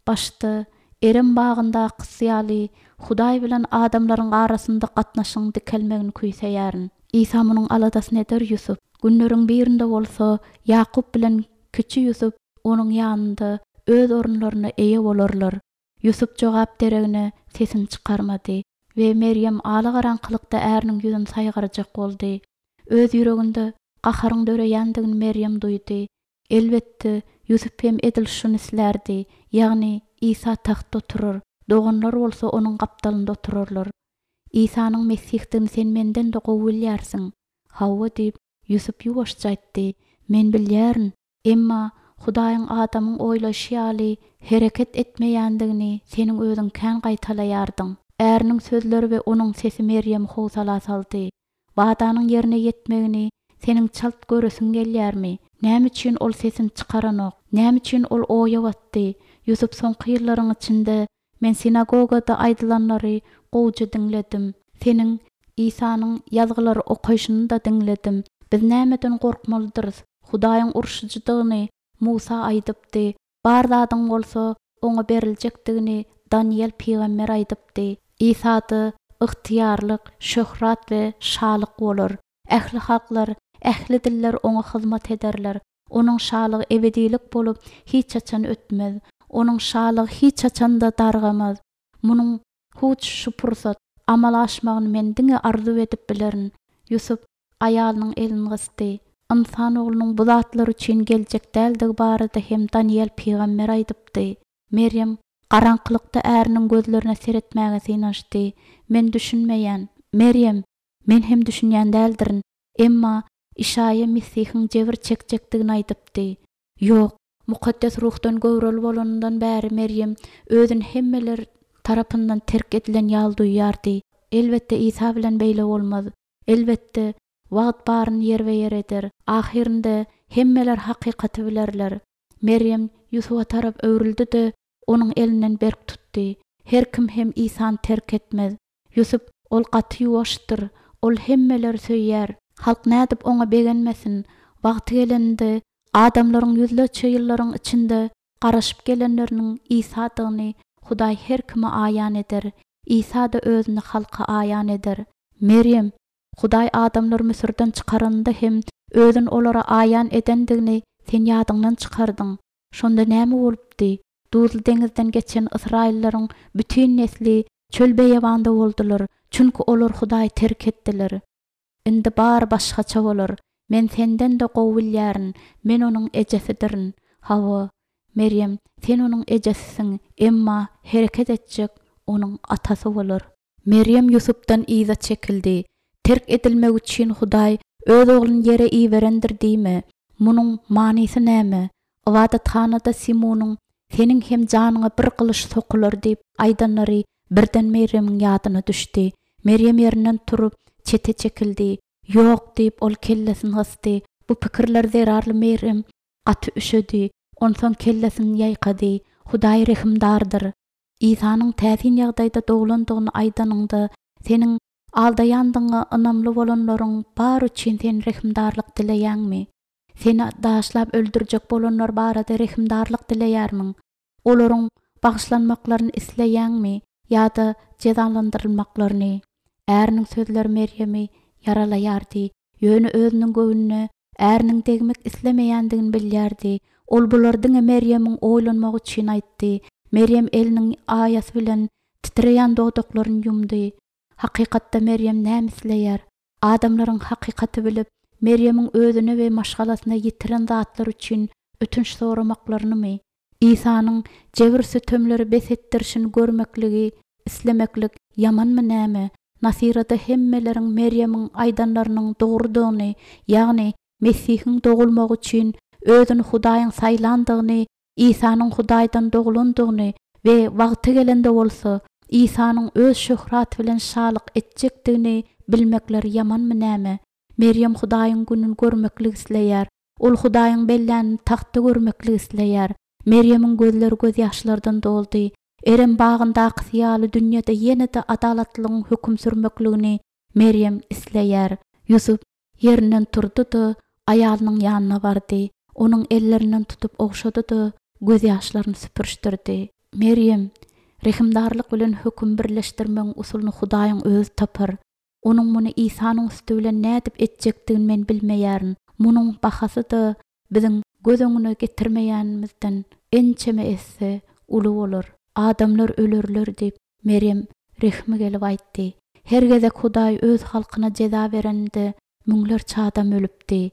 başda Erem bagyndakysy ýaly Hudaý bilen adamlaryň arasynda gatnaşygyň dikelmegini küýseýärin. Isa munuň aladasyny eder, Ýusup. Günleriň birinde bolsa Ýakup bilen kiçi Ýusup onuň ýanynda öz orunlaryna eýe bolarlar. Ýusup jogap deregine sesini çykarmady we Merýem alagaraňkylykda äriniň ýüzüni saýgarjak boldy. Öz ýüreginde gaharyň döreýändigini Merýem duýdy. Elbetde, Ýusup hem edil şuny islärdi, ýagny Isa tagtda oturar, doganlar bolsa onuň gapdalynda oturarlar. Isanyň Mesihdigini sen menden-de gowy bilýärsiň. Hawa, diýip, Ýusup ýuwaşja aýtdy, men bilýärin. Emma Hudaýyň adamyň oýlaýşy ýaly hereket etmeýändigini seniň özüň kän gaýtalaýardyň. Äriniň sözleri we onuň sesi Merýemi howsala saldy. Wadanyň ýerine ýetmegini seniň çalt göresiň gelýärmi? Näme üçin ol sesini çykaranok? Näme üçin ol oýa batdy? Ýusup soňky ýyllaryň içinde men sinagogada aýdylanlary gowuja diňledim. Seniň Isanyň ýazgylary okaýşyny-da diňledim. Biz nämeden gorkmalydyrys? Hudaýyň urşujydygyny Musa aýdypdy. Bar zadyň bolsa oňa beriljekdigini Danyýel pygamber aýdypdy. Isada ygtyýarlyk, şöhrat we şalyk bolar. Ähli halklar, ähli diller oňa hyzmat ederler. Onuň şalygy ebedilik bolup, hiç haçan ötmez. Onuň şalygy hiç haçan-da dargamaz. Munuň hut şu pursat amala aşmagyny men diňe arzuw edip bilerin. Ýusup aýalynyň elini gysdy. Ynsan oglunyň bu zatlar üçin geljek däldigi barada hem Danyýel pygamber aýdypdy. Merýem garaňkylykda äriniň gözlerine seretmäge synanyşdy. Men düşünmeýän. Merýem, men hem düşünýän däldirin. Emma Işaýa Mesihiň jebir çekjekdigini aýdypdy. Ýok, Mukaddes Ruhdan göwreli bolanyndan bäri Merýem özüni hemmeler tarapyndan terk edilen ýaly duýýardy. Elbetde, Isa bilen beýle bolmaz. Elbetde, wagt baryny ýerbe-ýer eder. Ahyrynda hemmeler hakykaty bilerler. Merýem Ýusuba tarap öwrüldi-de, onuň elinden berk tutdy. Her kim hem Isany terk etmez. Ýusup, ol gaty ýuwaşdyr. Ol hemmeleri söýýär. Halk nädip oňa begenmesin? Wagty gelende, adamlaryň ýüzlerçe ýyllaryň içinde garaşyp gelenleriniň Isadygyny Hudaý her kime aýan eder. Isa-da özüni halka aýan eder. Merýem, Hudaý adamlary Müsürden çykaranynda hem özüni olara aýan edendigini sen ýadyňdan çykardyň. Şonda näme bolupdy? Duzly deňizden geçen ysraýyllaryň bütin nesli çöl-beýewanda boldular, çünki olar Hudaýy terk etdiler. Indi bary başgaça bolar. Men senden-de gowy bilýärin, men onuň ejesidirin. Hawa, Merýem, sen onuň ejesisiň, emma hereket etjek onuň atasy bolar. Merýem Ýusupdan yza çekildi. Terk edilmek üçin Hudaý Öz Ogluny ýere iberendir diýme. Munuň manysy näme? Ybadathanada Simunyň, Seniň hem janyňa bir gylyç sokular diýip aýdanlary birden Merýemiň ýadyna düşdi. Merýem ýerinden turup, çete çekildi. Ýok, diýip, ol kellesini gysdy. Bu pikirler zerarly Merýem gaty üşedi. Onsoň kellesini ýaýkady. Hudaý rehimdardyr. Isanyň täsin ýagdaýda doglandygyny aýdanyňda, seniň aldaýandygyňa ynamly bolanlaryň bary üçin sen rehimdarlyk dileýäňmi? Seni daşlap öldürjek bolanlar barada rehimdarlyk dileýärmiň? Olaryň bagyşlanmaklaryny isleýäňmi ýa-da jezalandyrylmaklaryny? Äriniň sözleri Merýemi ýaralaýardy, ýöne özüniň göwnüne äriniň degmek islemeýändigini bilýärdi. Ol bulary diňe Merýemiň oýlanmagy üçin aýtdy. Merýem eliniň aýasy bilen titreýän dodaklaryny ýumdy. Hakykatda Merýem näme isleýär? Adamlaryň hakykaty bilip, Merýemiň özüne we maşgalasyna ýitiren zatlary üçin ötünç soramaklarynymy? Isanyň jebir-sütemleri bes etdirişini görmekligi islemeklik ýamanmy näme? Nasyrada hemmeleriň Merýemiň aýdanlarynyň dogrudygyny, ýagny Mesihiň dogulmagy üçin özüni Hudaýyň saýlandygyny, Isanyň Hudaýdan doglandygyny we wagty gelende bolsa, Isanyň öz şöhraty bilen şalyk etjekdigini bilmekleri ýamanmy näme? Merýem Hudaýyň gününi görmeklik isleýär. Ol Hudaýyň bellänini tagtda görmeklik isleýär. Merýemiň gözleri gözýaşlardan doldy. Erem bagyndakysy ýaly dünýede ýene-de adalatlylygyň höküm sürmekligini Merýem isleýär. Ýusup ýerinden turdy-da, aýalynyň ýanyna bardy. Onuň ellerinden tutup ogşady-da, gözýaşlaryny süpürişdirdi. Merýem, rehimdarlyk bilen höküm birleşdirmegiň usulyny Hudaýyň özi tapar. Onuň muny Isanyň üsti bilen nädip etjekdigini men bilmeýärin. Munuň bahasy-da biziň göz öňüne getirmeýänimizden ençeme esse uly bolar. Adamlar ölerler diýip, Merýem rehmi gelip aýtdy. Her gezek Hudaý öz halkyna jeza bereninde müňlerçe adam ölüpdi.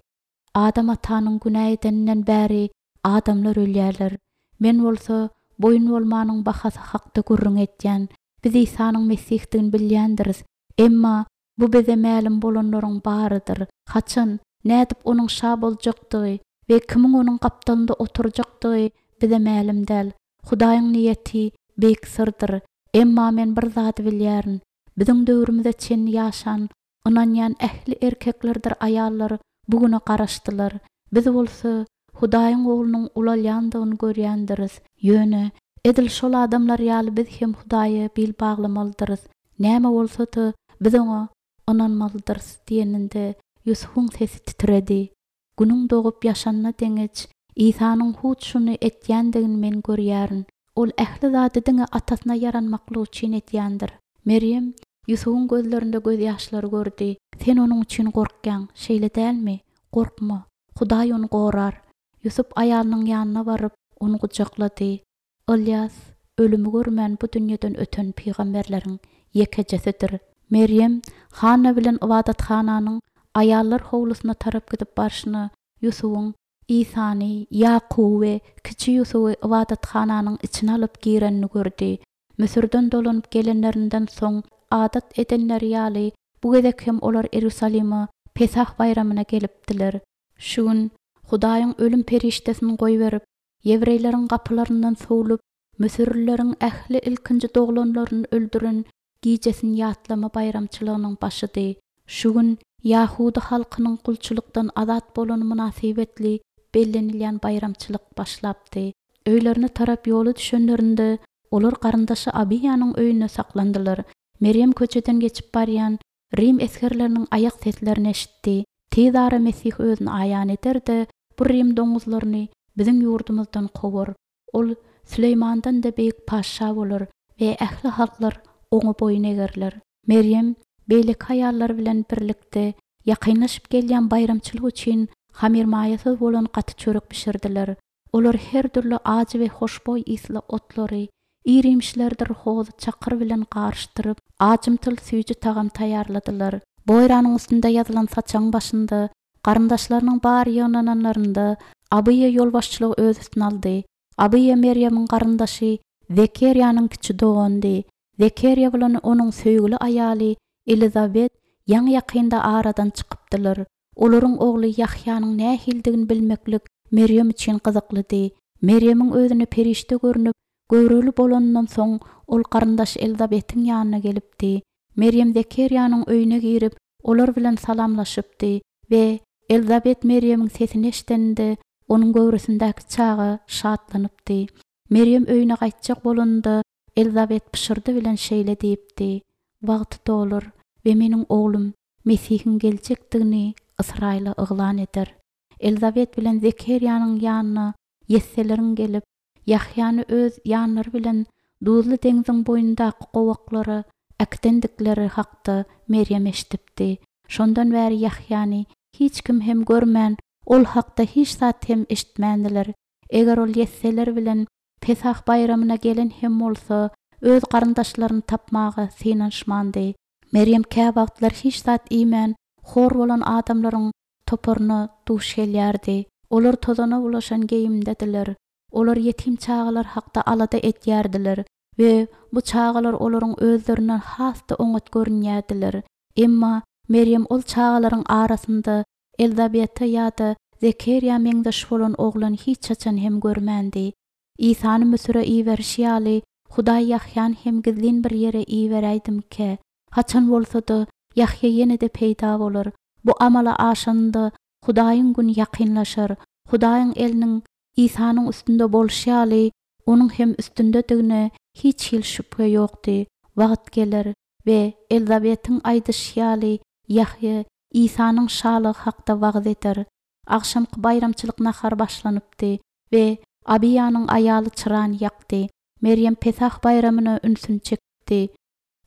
Adam atanyň günä edeninden bäri adamlar ölýärler. Men bolsa boýun bolmanyň bahasy hakda gürrüň etýän. Biz Isanyň Mesihdigini bilýändiris. Emma bu bize mälim bolanlaryň barydyr. Haçan, nädip onuň şa boljakdygy we kimiň onuň gapdalynda oturjakdygy bize mälim däl. Hudaýyň niýeti beýik syrdyr. Emma men bir zady bilýärin. Biziň döwrümize çenli ýaşan, ynanýan ähli erkeklerdir aýallar bu güne garaşdylar. Biz bolsa Hudaýyň oglunyň ulalýandygyny görýändiris. Ýöne edil şol adamlar ýaly biz hem Hudaýa bil baglamalydyrys. Näme bolsa-da biz oňa ynanmalydyrys diýeninde Ýusubyň sesi titredi. Günüň dogup ýaşanyna deňeç Isanyň hut şuny etýändigini men görýärin. Ol ähli zady diňe atasyna ýaranmaklyk üçin edýändir. Merýem Ýusubyň gözlerinde gözýaşlary gördi. Sen onuň üçin gorkýaň, şeýle dälmi? Gorkma. Hudaý ony gorar. Ýusup aýalynyň ýanyna baryp, ony gujaklady. Ylýas ölümi görmän bu dünýeden öten pygamberleriň ýekejesidir. Merýem Hanna bilen ybadathananyň aýallar howlusyna tarap gidip barşyna Ýusubyň Isany, Ýakuby we kiçi Ýusuby ybadathananyň içine alyp girenini gördi. Müsürden dolanyp gelenlerinden soň adat edenleri ýaly bu gezek hem olar Iýerusalime Pesah baýramyna gelipdiler. Şu gün Hudaýyň ölüm perişdesini goýberip, ýewreýleriň gapylaryndan sowlup, müsürlileriň ähli ilkinji doglanlaryny öldüren gijesini ýatlama baýramçylygynyň başydy. Şu gün Ýahudy halkynyň gulçulykdan azat bolany mynasybetli bellenilýän baýramçylyk başlapdy. Öýlerine tarap ýola düşenlerinde olar garyndaşy Abiýanyň öýünde saklandylar. Merýem köçeden geçip barýan Rim esgerleriniň aýak seslerini eşitdi. Tez ara Mesih özüni aýan eder-de, bu Rim doňuzlaryny biziň ýurdumyzdan kowar. Ol Süleýmandan-da beýik patyşa bolar we ähli halklar oňa boýun egerler. Merýem beýleki aýallar bilen birlikde ýakynlaşyp gelýän baýramçylyk üçin hamyrmaýasyz bolan gaty çörek bişirdiler. Olar her dürli ajy we hoşboý ysly otlary, ir-iýmişlerdir hozy çakyr bilen garyşdyryp, ajymtyl süýji tagam taýýarladylar. Boýranyň üstünde ýazylan saçagyň başynda garyndaşlarynyň bary ýygnananlarynda Abyýa ýolbaşçylygy öz üstüne aldy. Abyýa Merýemiň garyndaşy Zekerýanyň kiçi doganydy. Zekerýa bilen onuň söýgüli aýaly Elizabet ýaňy-ýakynda aradan çykypdylar. Olaryň ogly Ýahýanyň nähilidigini bilmeklik Merýem üçin gyzyklydy. Merýemiň özüne perişde görnüp, göwreli bolanyndan soň ol garyndaşy Elizabetiň ýanyna gelipdi. Merýem Zekerýanyň öýüne girip, olar bilen salamlaşypdy we Elizabet Merýemiň sesini eşideninde onuň göwresindäki çaga şatlanypdy. Merýem öýüne gaýtjak bolanynda Elizabet pyşyrdy bilen şeýle diýipdi, Wagty dolar we meniň oglum Mesihiň geljekdigini Ysraýyla yglan eder. Elizabet bilen Zekerýanyň ýanyna ýesseleriň gelip, Ýahýany öz ýanlary bilen Duzly deňziň boýundaky gowaklara äkidendikleri hakda Merýem eşidipdi. Şondan bäri Ýahýany hiç kim hem görmän, ol hakda hiç zat hem eşitmändiler. Eger ol ýesseler bilen Pesah baýramyna gelen hem bolsa, öz garyndaşlaryny tapmaga synanyşmandy. Merýem käwagtlar hiç zat iýmän, hor bolan adamlaryň toparyna duş gelýärdi. Olar tozana bulaşan geýimdediler. Olar ýetim çagalar hakda alada edýärdiler we bu çagalar olaryň özlerinden has-da oňat görünýärdiler. Emma Merýem ol çagalaryň arasynda Elizabete ýa-da Zekerýa meňzeş bolan oglan hiç haçan hem görmändi. Isany Müsüre iberişi ýaly, Hudaý Ýahýany hem gizlin bir ýere iberäýdimikä? Haçan bolsa-da, Ýahýa ýene-de peýda bolar. Bu amala aşanynda Hudaýyň güni ýakynlaşar. Hudaýyň eliniň Isanyň üstünde bolşy ýaly, onuň hem üstündedigine hiç hili şübhe ýokdy. Wagt geler we Elizabetiň aýdyşy ýaly, Ýahýa Isanyň şalygy hakda wagyz eder. Agşamky baýramçylyk nahary başlanypdy we Abiýanyň aýaly çyrany ýakdy. Merýem Pesah baýramyna ünsüni çekipdi.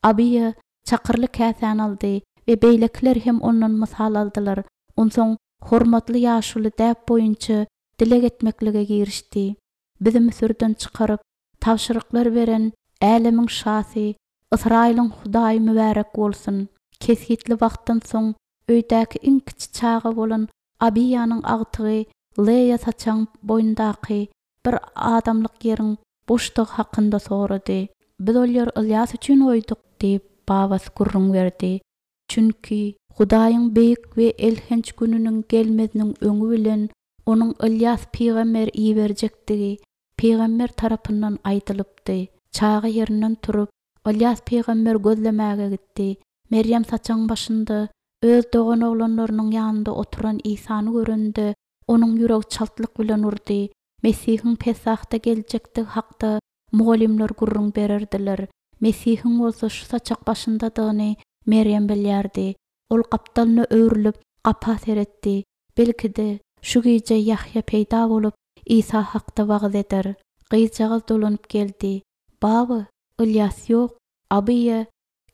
Abiýa çakyrly käsäni aldy we beýlekiler hem ondan mysal aldylar. Onsoň hormatly ýaşuly däp boýunça dileg etmeklige girişdi. Bizi Müsürden çykaryp, tabşyryklar beren Älemiň şasy, Ysraýylyň Hudaýy mübärek bolsun. Kesgitli wagtdan soň öýdäki iň kiçi çaga bolan Abiýanyň agtygy Leýa saçagyň boýundaky bir adamlyk ýeriň boşdugy hakynda sorady. Biz ol ýeri Ylýas üçin goýduk diýip, babasy gürrüň berdi. Çünki Hudaýyň beýik we elhenç gününiň gelmeziniň öňi bilen onuň Ylýas pygamberi iberjekdigi pygamber tarapyndan aýdylypdy. Çaga ýerinden turup, Ylýas pygamberi gözlemäge gitdi. Merýem saçagyň başynda öz doganoglanlarynyň ýanynda oturan Isany görende, onuň ýüregi çaltlyk bilen urdy. Mesihiň Pesahda geljekdigi hakda mugallymlar gürrüň bererdiler. Mesihiň bolsa şu saçak başyndadygyny Merýem bilýärdi. Ol gapdalyna öwrülip, gapa seretdi. Belki-de, şu gije Ýahýa peýda bolup, Isa hakda wagyz eder. Gyzjagaz dolanyp geldi. Baba, Ylýas ýok. Abiýa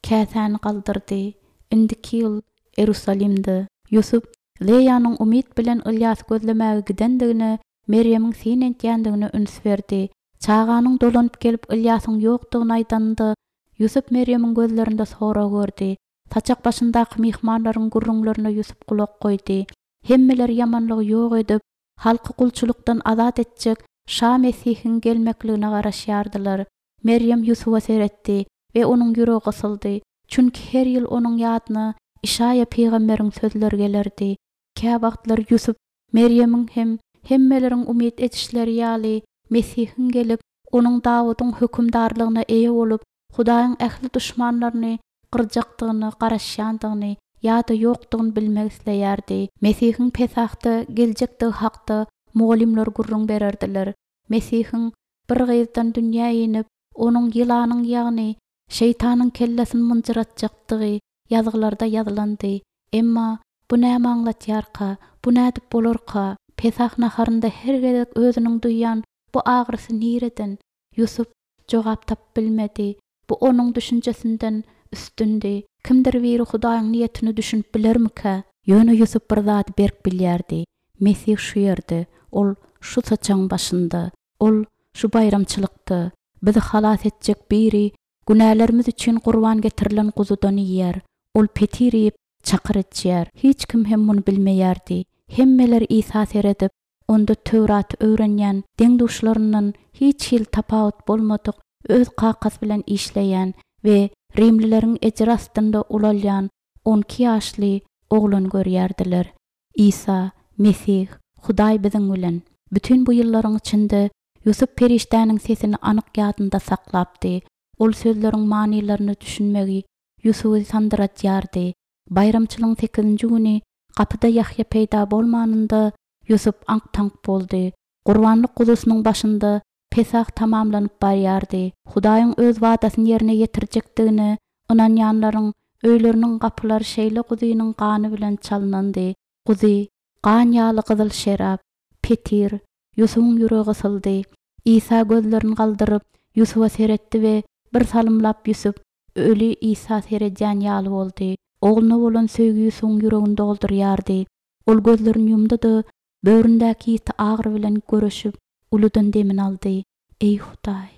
käsäni galdyrdy. Indiki ýyl Erusalimde. Ýusup Leýanyň umyt bilen Ylýasy gözlemäge gidendigine, Merýemiň syn edýändigine üns berdi. Çaganyň dolanyp gelip Ylýasyň ýokdugyny aýdanynda, Ýusup Merýemiň gözlerinde sorag gördi. Saçak başyndaky myhmanlaryň gürrüňlerine Ýusup gulak goýdy. Hemmeler ýamanlygy ýok edip, halky gulçulykdan azat etjek Şa Mesihiň gelmekligine garaşýardylar. Merýem Ýusuba seretdi we onuň ýüregi gysyldy. Çünki her ýyl onuň ýadyna Işaýa pygamberiň sözleri gelerdi. Käwagtlar Ýusup Merýemiň hem hemmeleriň umyt edişleri ýaly Mesihiň gelip, onuň Dawudyň hökümdarlygyna eýe bolup, Hudaýyň ähli duşmanlaryny gyrjakdygyna garaşýandygyny ýa-da ýokdugyny bilmek isleýärdi. Mesihiň Pesahda geljekdigi hakda mugallymlar gürrüň bererdiler. Mesihiň bir gyzdan dünýä inip, onuň ýylanyň ýagny şeýtanyň kellesini mynjyratjakdygy ýazgylarda ýazylandy. Emma bu näme aňlatýarka, bu nädip bolarka? Pesah naharynda her gezek özüniň duýýan bu agyrysy nireden? Ýusup jogap tapyp bilmedi. Bu onuň düşünjesinden üstündi. Kimdir biri Hudaýyň niýetini düşünip bilermikä? Ýöne Ýusup bir zady berk bilýärdi. Mesih şu ýerde, ol şu saçagyň başynda, ol şu baýramçylykda bizi halas etjek biri günälerimiz üçin gurban getirilen guzudan iýer. Ol petir iýip, çakyr içýär. Hiç kim hem muny bilmeýärdi. Hemmeler Isa seredip, onda Töwraty öwrenýän deň-duşlaryndan hiç hili tapawut bolmadyk öz kakasy bilen işleýän we rimlileriň ejir astynda ulalýan on iki ýaşly oglan görýärdiler. Isa, Mesih, Hudaý biziň bilen. Bütin bu ýyllaryň içinde Ýusup perişdäniň sesini anyk ýadynda saklapdy. Ol sözleriň manylaryna düşünmegi Ýusuby sandyratýardy. Baýramçylygyň sekizinji güni gapyda Ýahýa peýda bolmanynda Ýusup aňk-taňk boldy. Gurbanlyk guzusynyň başynda Pesah tamamlanyp barýardy. Hudaýyň Öz wadasyny ýerine ýetirjekdigine ynanýanlaryň öýleriniň gapylary şeýle guzynyň gany bilen çalnandy. Guzy, gan ýaly gyzyl şerap, petir. Ýusubyň ýüregi gysyldy. Isa gözlerini galdyryp, Ýusuba seretdi we bir salymlap Ýusup öli Isa seredýän ýaly boldy. Ogluna bolan söýgi Ýusubyň ýüregini doldurýardy. Ol gözlerini ýumdy-da, böwründäki ýiti agyry bilen göreşip, uludan demini aldy. Eý, Hudaý!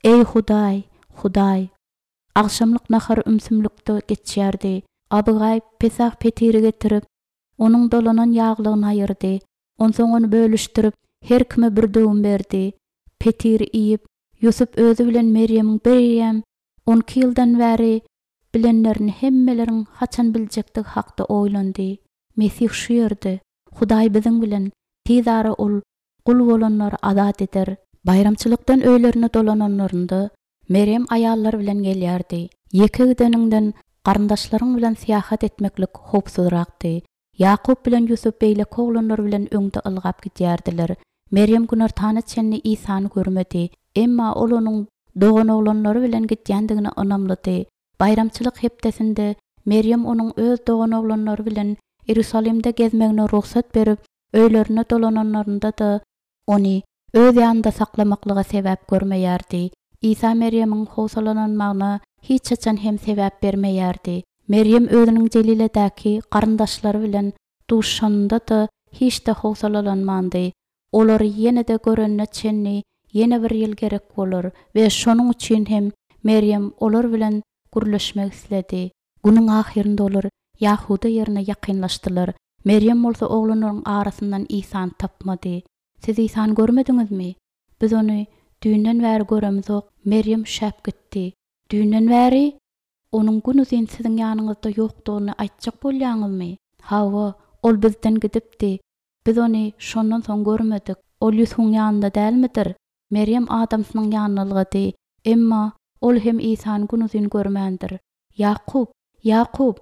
Eý, Hudaý! Hudaý! Agşamlyk nahary ümsümlikde geçýärdi. Abygaý Pesah petiri getirip, onuň dolanan ýaglygyny aýyrdy. Onsoň ony bölüşdirip, her kime bir döwüm berdi. Petiri iýip, Ýusup özi bilen Merýemiň bireýýäm on iki ýyldan bäri bilenlerini hemmeleriň haçan biljekdigi hakda oýlandy. Mesih şu ýerde. Hudaý biziň bilen. Tiz ara Ol gul bolanlary azat eder. Baýramçylykdan öýlerine dolananlarynda, Merýem aýallar bilen gelýärdi. Ýeke gideniňden garyndaşlaryň bilen syýahat etmeklik howpsuzrakdy. Ýakup bilen Ýusup beýleki oglanlar bilen öňde ylgap gidýärdiler. Merýem günortana çenli Isany görmedi. Emma ol onuň doganoglanlary bilen gidýändigine ynamlydy. Baýramçylyk hepdesinde Merýem onuň öz doganoglanlary bilen Iýerusalimde gezmegine rugsat berip, öýlerine dolananlarynda-da, ony öz ýanynda saklamaklyga sebäp görmeýärdi. Isa Merýemiň howsalalanmagyna hiç haçan hem sebäp bermeýärdi. Merýem özüniň Jeliledäki garyndaşlary bilen duşuşanynda-da hiç-de howsalalanmandy. Olary ýene-de görenine çenli ýene bir ýyl gerek bolar we şonuň üçin hem Merýem olar bilen gürleşmek isledi. Günüň ahyrynda olar Ýahuda ýerine ýakynlaşdylar. Merýem bolsa oglanlaryň arasyndan Isany tapmady. Siz Isany görmediňizmi? Biz ony düýnden bäri göremizok. Merýem üşäp gitdi. Düýnden bäri? Onuň günuzyn siziň ýanyňyzda ýokdugyny aýtjak bolýaňyzmy? Hawa, ol bizden gidipdi. Biz ony şondan soň görmedik. Ol Ýusubyň ýanynda dälmidir? Merýem adamsynyň ýanyna ylgady. Emma ol hem Isany günuzyn görmändir. Ýakup! Ýakup!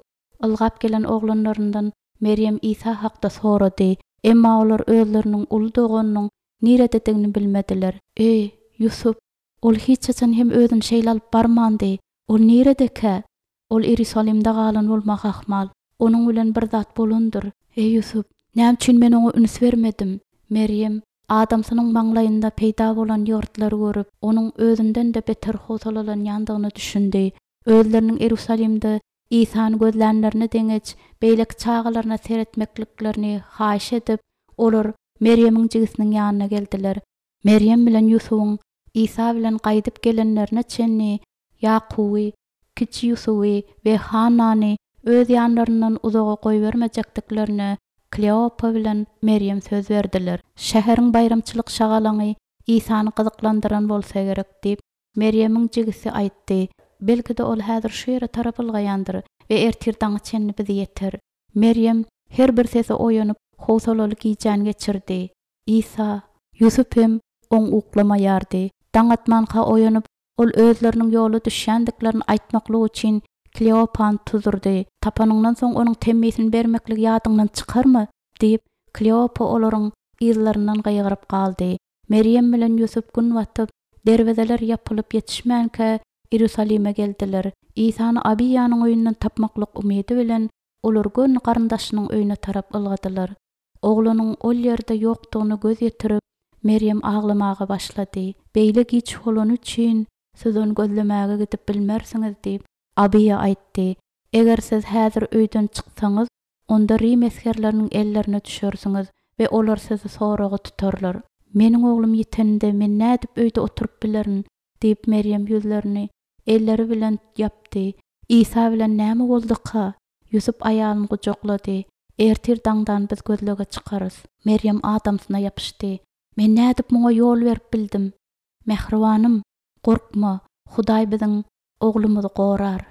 Ylgap gelen oglanlaryndan Merýem Isa hakda sorady. Emma olar özleriniň uly doganynyň nirededigini bilmediler. Eý, Ýusup! Ol hiç haçan hem özüni şeýle alyp barmandy. Ol niredekä? Ol Iýerusalimde galan bolmagy ahmal. Onuň bilen bir zat bolandyr. Eý, Ýusup, näme üçin men oňa üns bermedim? Merýem adamsynyň maňlaýynda peýda bolan ýygyrtlary görüp, onuň özünden-de beter howsalalanýandygyna düşündi. Özleriniň Iýerusalimde Isany gözlänlerine deňeç, beýleki çagalaryna seretmekliklerini haýyş edip, olar Merýemiň jigisiniň ýanyna geldiler. Merýem bilen Ýusubyň Isa bilen gaýdyp gelenlerine çenli Ýakuby, kiçi Ýusuby we Hannany öz ýanlaryndan uzaga goýbermejekdiklerine Kleopa bilen Merýem söz berdiler. Şäheriň baýramçylyk şagalaňy Isany gyzyklandyran bolsa gerek diýip, Merýemiň jigisi aýtdy. Belki-de ol häzir şu ýere tarap ylgaýandyr we ertir daňa çenli bizi ýeter. Merýem her bir sese oýanyp, howsalaly gijäni geçirdi. Isa, Ýusup hem oň uklamaýardy. Daň atmanka oýanyp, ol özleriniň ýola düşýändiklerini aýtmaklyk üçin Kleopany tuzdurdy. Tapanyňdan soň onuň temmisini bermekligi ýadyňdan çykarma! diýip, Kleopa olaryň yzlaryndan gygyryp galdy. Merýem bilen Ýusup gün batyp, derwezeler ýapylyp ýetişmänkä Iýerusalime geldiler. Isany Abiýanyň öýünden tapmaklyk umydy bilen, olar göni garyndaşynyň öýüne tarap ylgadylar. Oglunyň ol ýerde ýokdugyna göz ýetirip, Merýem aglamaga başlady. Beýle giç bolany üçin siz ony gözlemäge gidip bilmersiňiz diýip, Abiýa aýtdy. Eger siz häzir öýden çyksaňyz, onda rim esgerleriniň ellerine düşersiňiz we olar sizi soraga tutarlar. Meniň oglum ýiteninde men nädip öýde oturyp bilerin? diýip, Merýem ýüzlerini elleri bilen ýapdy. Isa bilen näme bolduka? Ýusup aýalyny gujaklady. Ertir daňdan biz gözlege çykarys. Merýem adamsyna ýapyşdy. Men nädip muňa ýol berip bildim? Mähribanym, gorkma, Hudaý biziň oglumyzy gorar.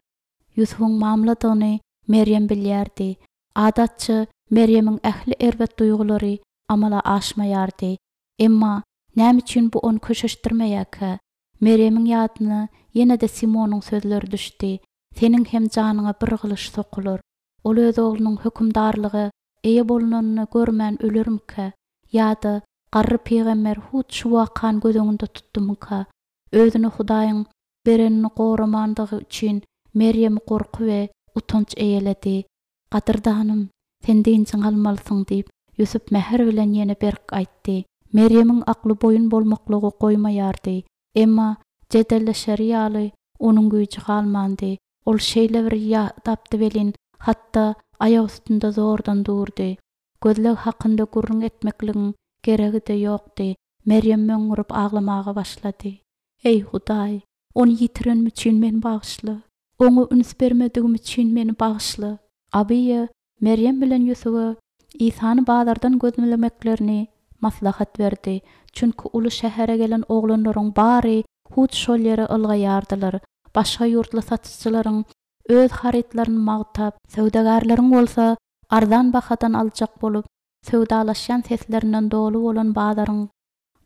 Ýusubyň mamladygyny Merýem bilýärdi. Adatça, Merýemiň ähli erbet duýgulary amala aşmaýardy. Emma näme üçin bu ony köşeşdirmeýärkä? Merýemiň ýadyna ýene-de Simonyň sözleri düşdi, Seniň hem janyňa bir gylyç sokular. Ol öz oglunyň hökümdarlyga eýe bolnanyny görmän ölermikä? Ýa-da Garry pygamber hut şu wakany göz öňünde tutdumyka? Özüne Hudaýyň berenini goramandygy üçin Merýemi gorky we utanç eýeledi. Gadyrdanym, sen dynjyňy almalysyň diýip, Ýusup mähir bilen ýene berk aýtdy. Merýemiň akly boýun bolmaklygy goýmaýardy. Emma jedelleşeri ýaly onuň güýji galmandy. Ol şeýle bir ýadapdy welin, hatda aýak üstünde zordan durdy. Gözleg hakynda gürrüň etmekligiň geregi-de ýokdy. Merýem möňňürip aglamaga başlady. Eý, Hudaý, ony ýitirenim üçin meni bagyşla. Oňa üns bermedigim üçin meni bagyşla. Abyýa Merýem bilen Ýusuba Isany bazardan gözlemeklerini maslahat berdi. Çünki uly şähere gelen oglanlaryň bary hut şol ýere ylgaýardylar. Başga ýurtly satyjylaryň öz harytlaryny magtap, söwdagärleriň bolsa arzan bahadan aljak bolup, söwdalaşýan seslerinden doly bolan bazaryň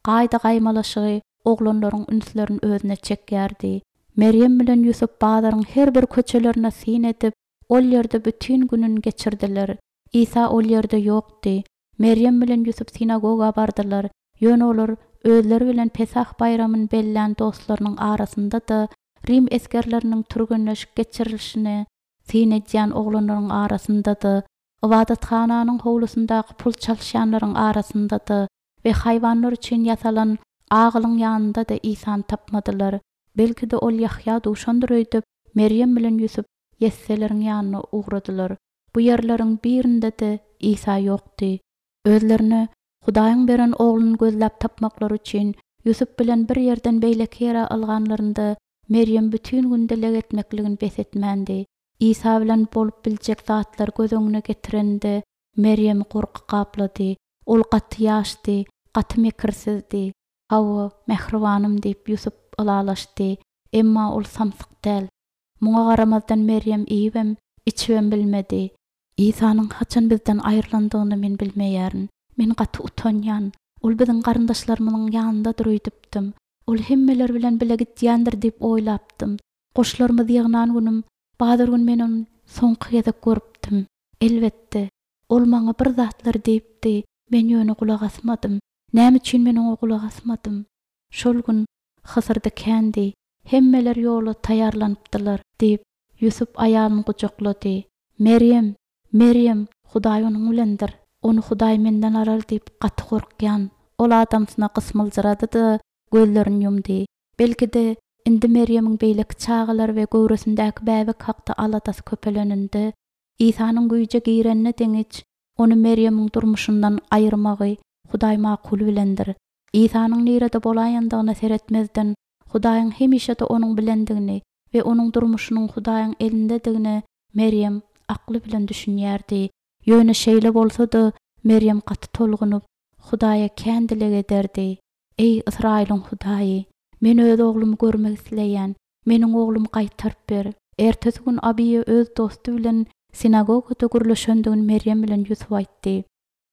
gaýda-gaýmalaşygy oglanlaryň ünslerini özüne çekýärdi. Merýem bilen Ýusup bazaryň her bir köçelerine syn edip, ol ýerde bütin gününi geçirdiler. Isa ol ýerde ýokdy. Merýem bilen Ýusup sinagoga bardylar. Ýöne olar özleri bilen Pesah baýramyny bellän dostlarynyň arasynda-da, Rim esgerleriniň türgenleşik geçirilişine syn edýän oglanlaryň arasynda-da, ybadathananyň howlusyndaky pul çalyşýanlaryň arasynda-da we haýwanlar üçin ýasalan agylyň ýanynda-da Isany tapmadylar. Belki-de ol Ýahýa duşandyr öýdüp, Merýem bilen Ýusup ýesseleriň ýanyna ugradylar. Bu ýerleriň birinde-de Isa ýokdy. Özlerine Hudaýyň beren ogluny gözläp tapmaklary üçin Ýusup bilen bir ýerden beýleki ýere ylganlarynda Merýem bütin gün dileg etmekligini bes etmändi. Isa bilen bolup biljek zatlary göz öňüne getirende Merýemi gorky gaplady. Ol gaty ýaşdy, gaty mekirsizdi. Hawa, mähribanym diýip Ýusup ylalaşdy. Emma ol samsyk däl. Muňa garamazdan Merýem iýibem, içibem bilmedi. Isanyň haçan bizden aýrylandygyny men bilmeýärin. Men gaty utanýan. Ol biziň garyndaşlarymyzyň ýanyndadyr öýdüpdim. Ol hemmeler bilen bile gidýändir diýip oýlapdym. Goşlarymyzy ýygnan günüm, bazar gün men ony soňky gezek görüpdim. Elbetde, ol maňa bir zatlar diýipdi, men ýöne gulak asmadym. Näme üçin men oňa gulak asmadym? Şol gün hysyrdy kändi. Hemmeler ýola taýýarlanypdylar, diýip, Ýusup aýalyny gujaklady. Merýem, Merýem, Hudaý onuň bilendir. Ony Hudaý menden alar diýip gaty gorkýan. Ol adamsyna gysmyljyrady-da, gözlerini ýumdy. Belki-de, indi Merýemiň beýleki çagalary we göwresindäki bäbek hakda aladasy köpeleninde, Isanyň güýje girenine deňiç, ony Merýemiň durmuşyndan aýyrmagy Hudaý makul bilendir. Isanyň nirede bolaýandygyna seretmezden, Hudaýyň hemişe-de onuň bilendigini we onuň durmuşynyň Hudaýyň elindedigine Merýem akly bilen düşünýärdi. Ýöne şeýle bolsa-da, Merýem gaty tolgunyp, Hudaýa kän dileg ederdi. Eý, Ysraýylyň Hudaýy, men öz oglumy görmek isleýän. Meniň oglumy gaýtaryp ber. Ertesi gün Abiýa öz dosty bilen sinagogada gürleşendigini Merýem bilen Ýusup aýtdy.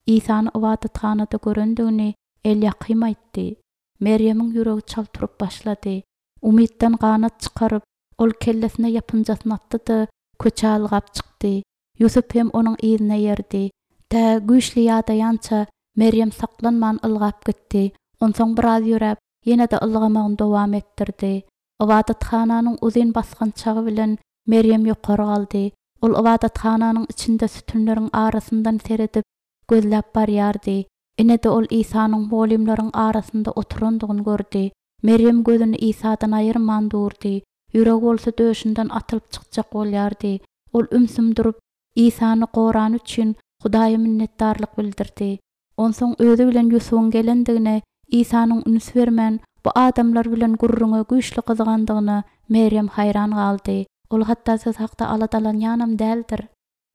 Isany ybadathanada görendigini Elýakym aýtdy. Merýemiň ýüregi çalt urup başlady. Umytdan ganat çykaryp, ol kellesine ýapynjasyny atdy-da, köçä ylgap çykdy. Ýusup hem onuň yzyna eýerdi. Tä güýçli ýadaýança Merýem saklanman ylgap gitdi. Onsoň biraz ýöräp, ýene-de ylgamagyny dowam etdirdi. Ybadathananyň uzyn basgançagy bilen Merýem ýokary galdy. Ol ybadathananyň içinde sütünleriň arasyndan seredip, gözläp barýardy. Ine-de ol Isanyň mugallymlaryň arasynda oturandygyny gördi. Merýem gözüni Isadan aýyrman durdy. Ýüregi bolsa döşünden atylyp çykjak bolýardy. Ol ümsüm durup, Isany gorany üçin Hudaýa minnetdarlyk bildirdi. Onsoň özi bilen Ýusubyň gelendigine, Isanyň üns bermän, bu adamlar bilen gürrüňe güýçli gyzygandygyna Merýem haýran galdy. Ol hatda siz hakda aladalanýanam däldir.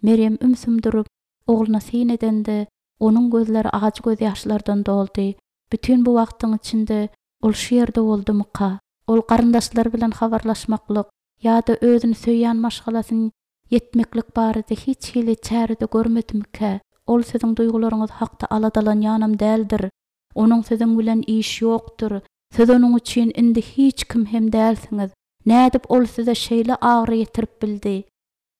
Merýem ümsüm durup, ogluna syn edende, onuň gözleri ajy gözýaşlardan doldy. Bütin bu wagtyň içinde ol şu ýerde boldumyka? Ol garyndaşlary bilen habarlaşmaklyk ýa-da özüni söýýän maşgalasyny ýetmeklik barada hiç hili çäre-de görmedimikä? Ol siziň duýgularyňyz hakda aladalanýanam däldir. Onuň siziň bilen işi ýokdur. Siz onuň üçin indi hiç kim hem dälsiňiz. Nädip ol size şeýle agyry ýetirip bildi?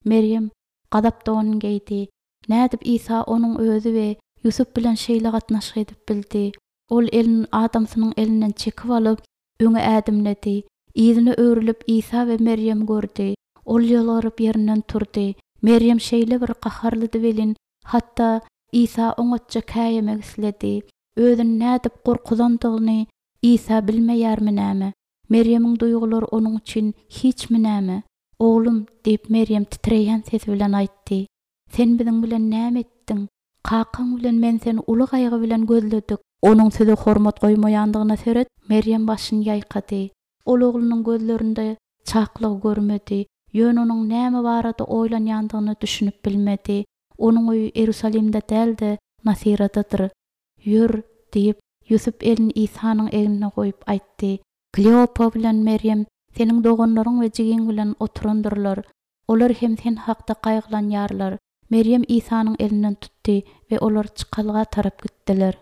Merýem gazap donuny geýdi. Nädip Isa onuň özi we Ýusup bilen şeýle gatnaşyk edip bildi? Ol elini adamsynyň elinden çekip alyp, öňe ädimledi. Yzyna öwrülip Isa we Merýemi gördi. Ol ýylgyryp ýerinden turdy. Merýem şeýle bir gaharlydy welin, hatda Isa oňatja käýemek isledi. Özüni nädip gorkuzandygyny Isa bilmeýärmi näme? Merýemiň duýgulary onuň üçin hiçmi näme? Oglum, diýip, Merýem titreýän sesi bilen aýtdy. Sen biziň bilen näme etdiň? Kakaň bilen men seni uly gaýgy bilen gözledik. Onuň size hormat goýmaýandygyna seret, Merýem başyny ýaýkady. Ol oglunyň gözlerinde çaklygy görmedi, ýöne onuň näme barada oýlanýandygyna düşünip bilmedi. Onuň öýi Iýerusalimde däl-de, Nasyradadyr. Ýör, diýip, Ýusup elini Isanyň egnine goýup aýtdy. Kleopa bilen Merýem seniň doganlaryň we jigiň bilen oturandyrlar. Olar hem sen hakda gaýgylanýarlar. Merýem Isanyň elinden tutdy we olar çykalga tarap gitdiler.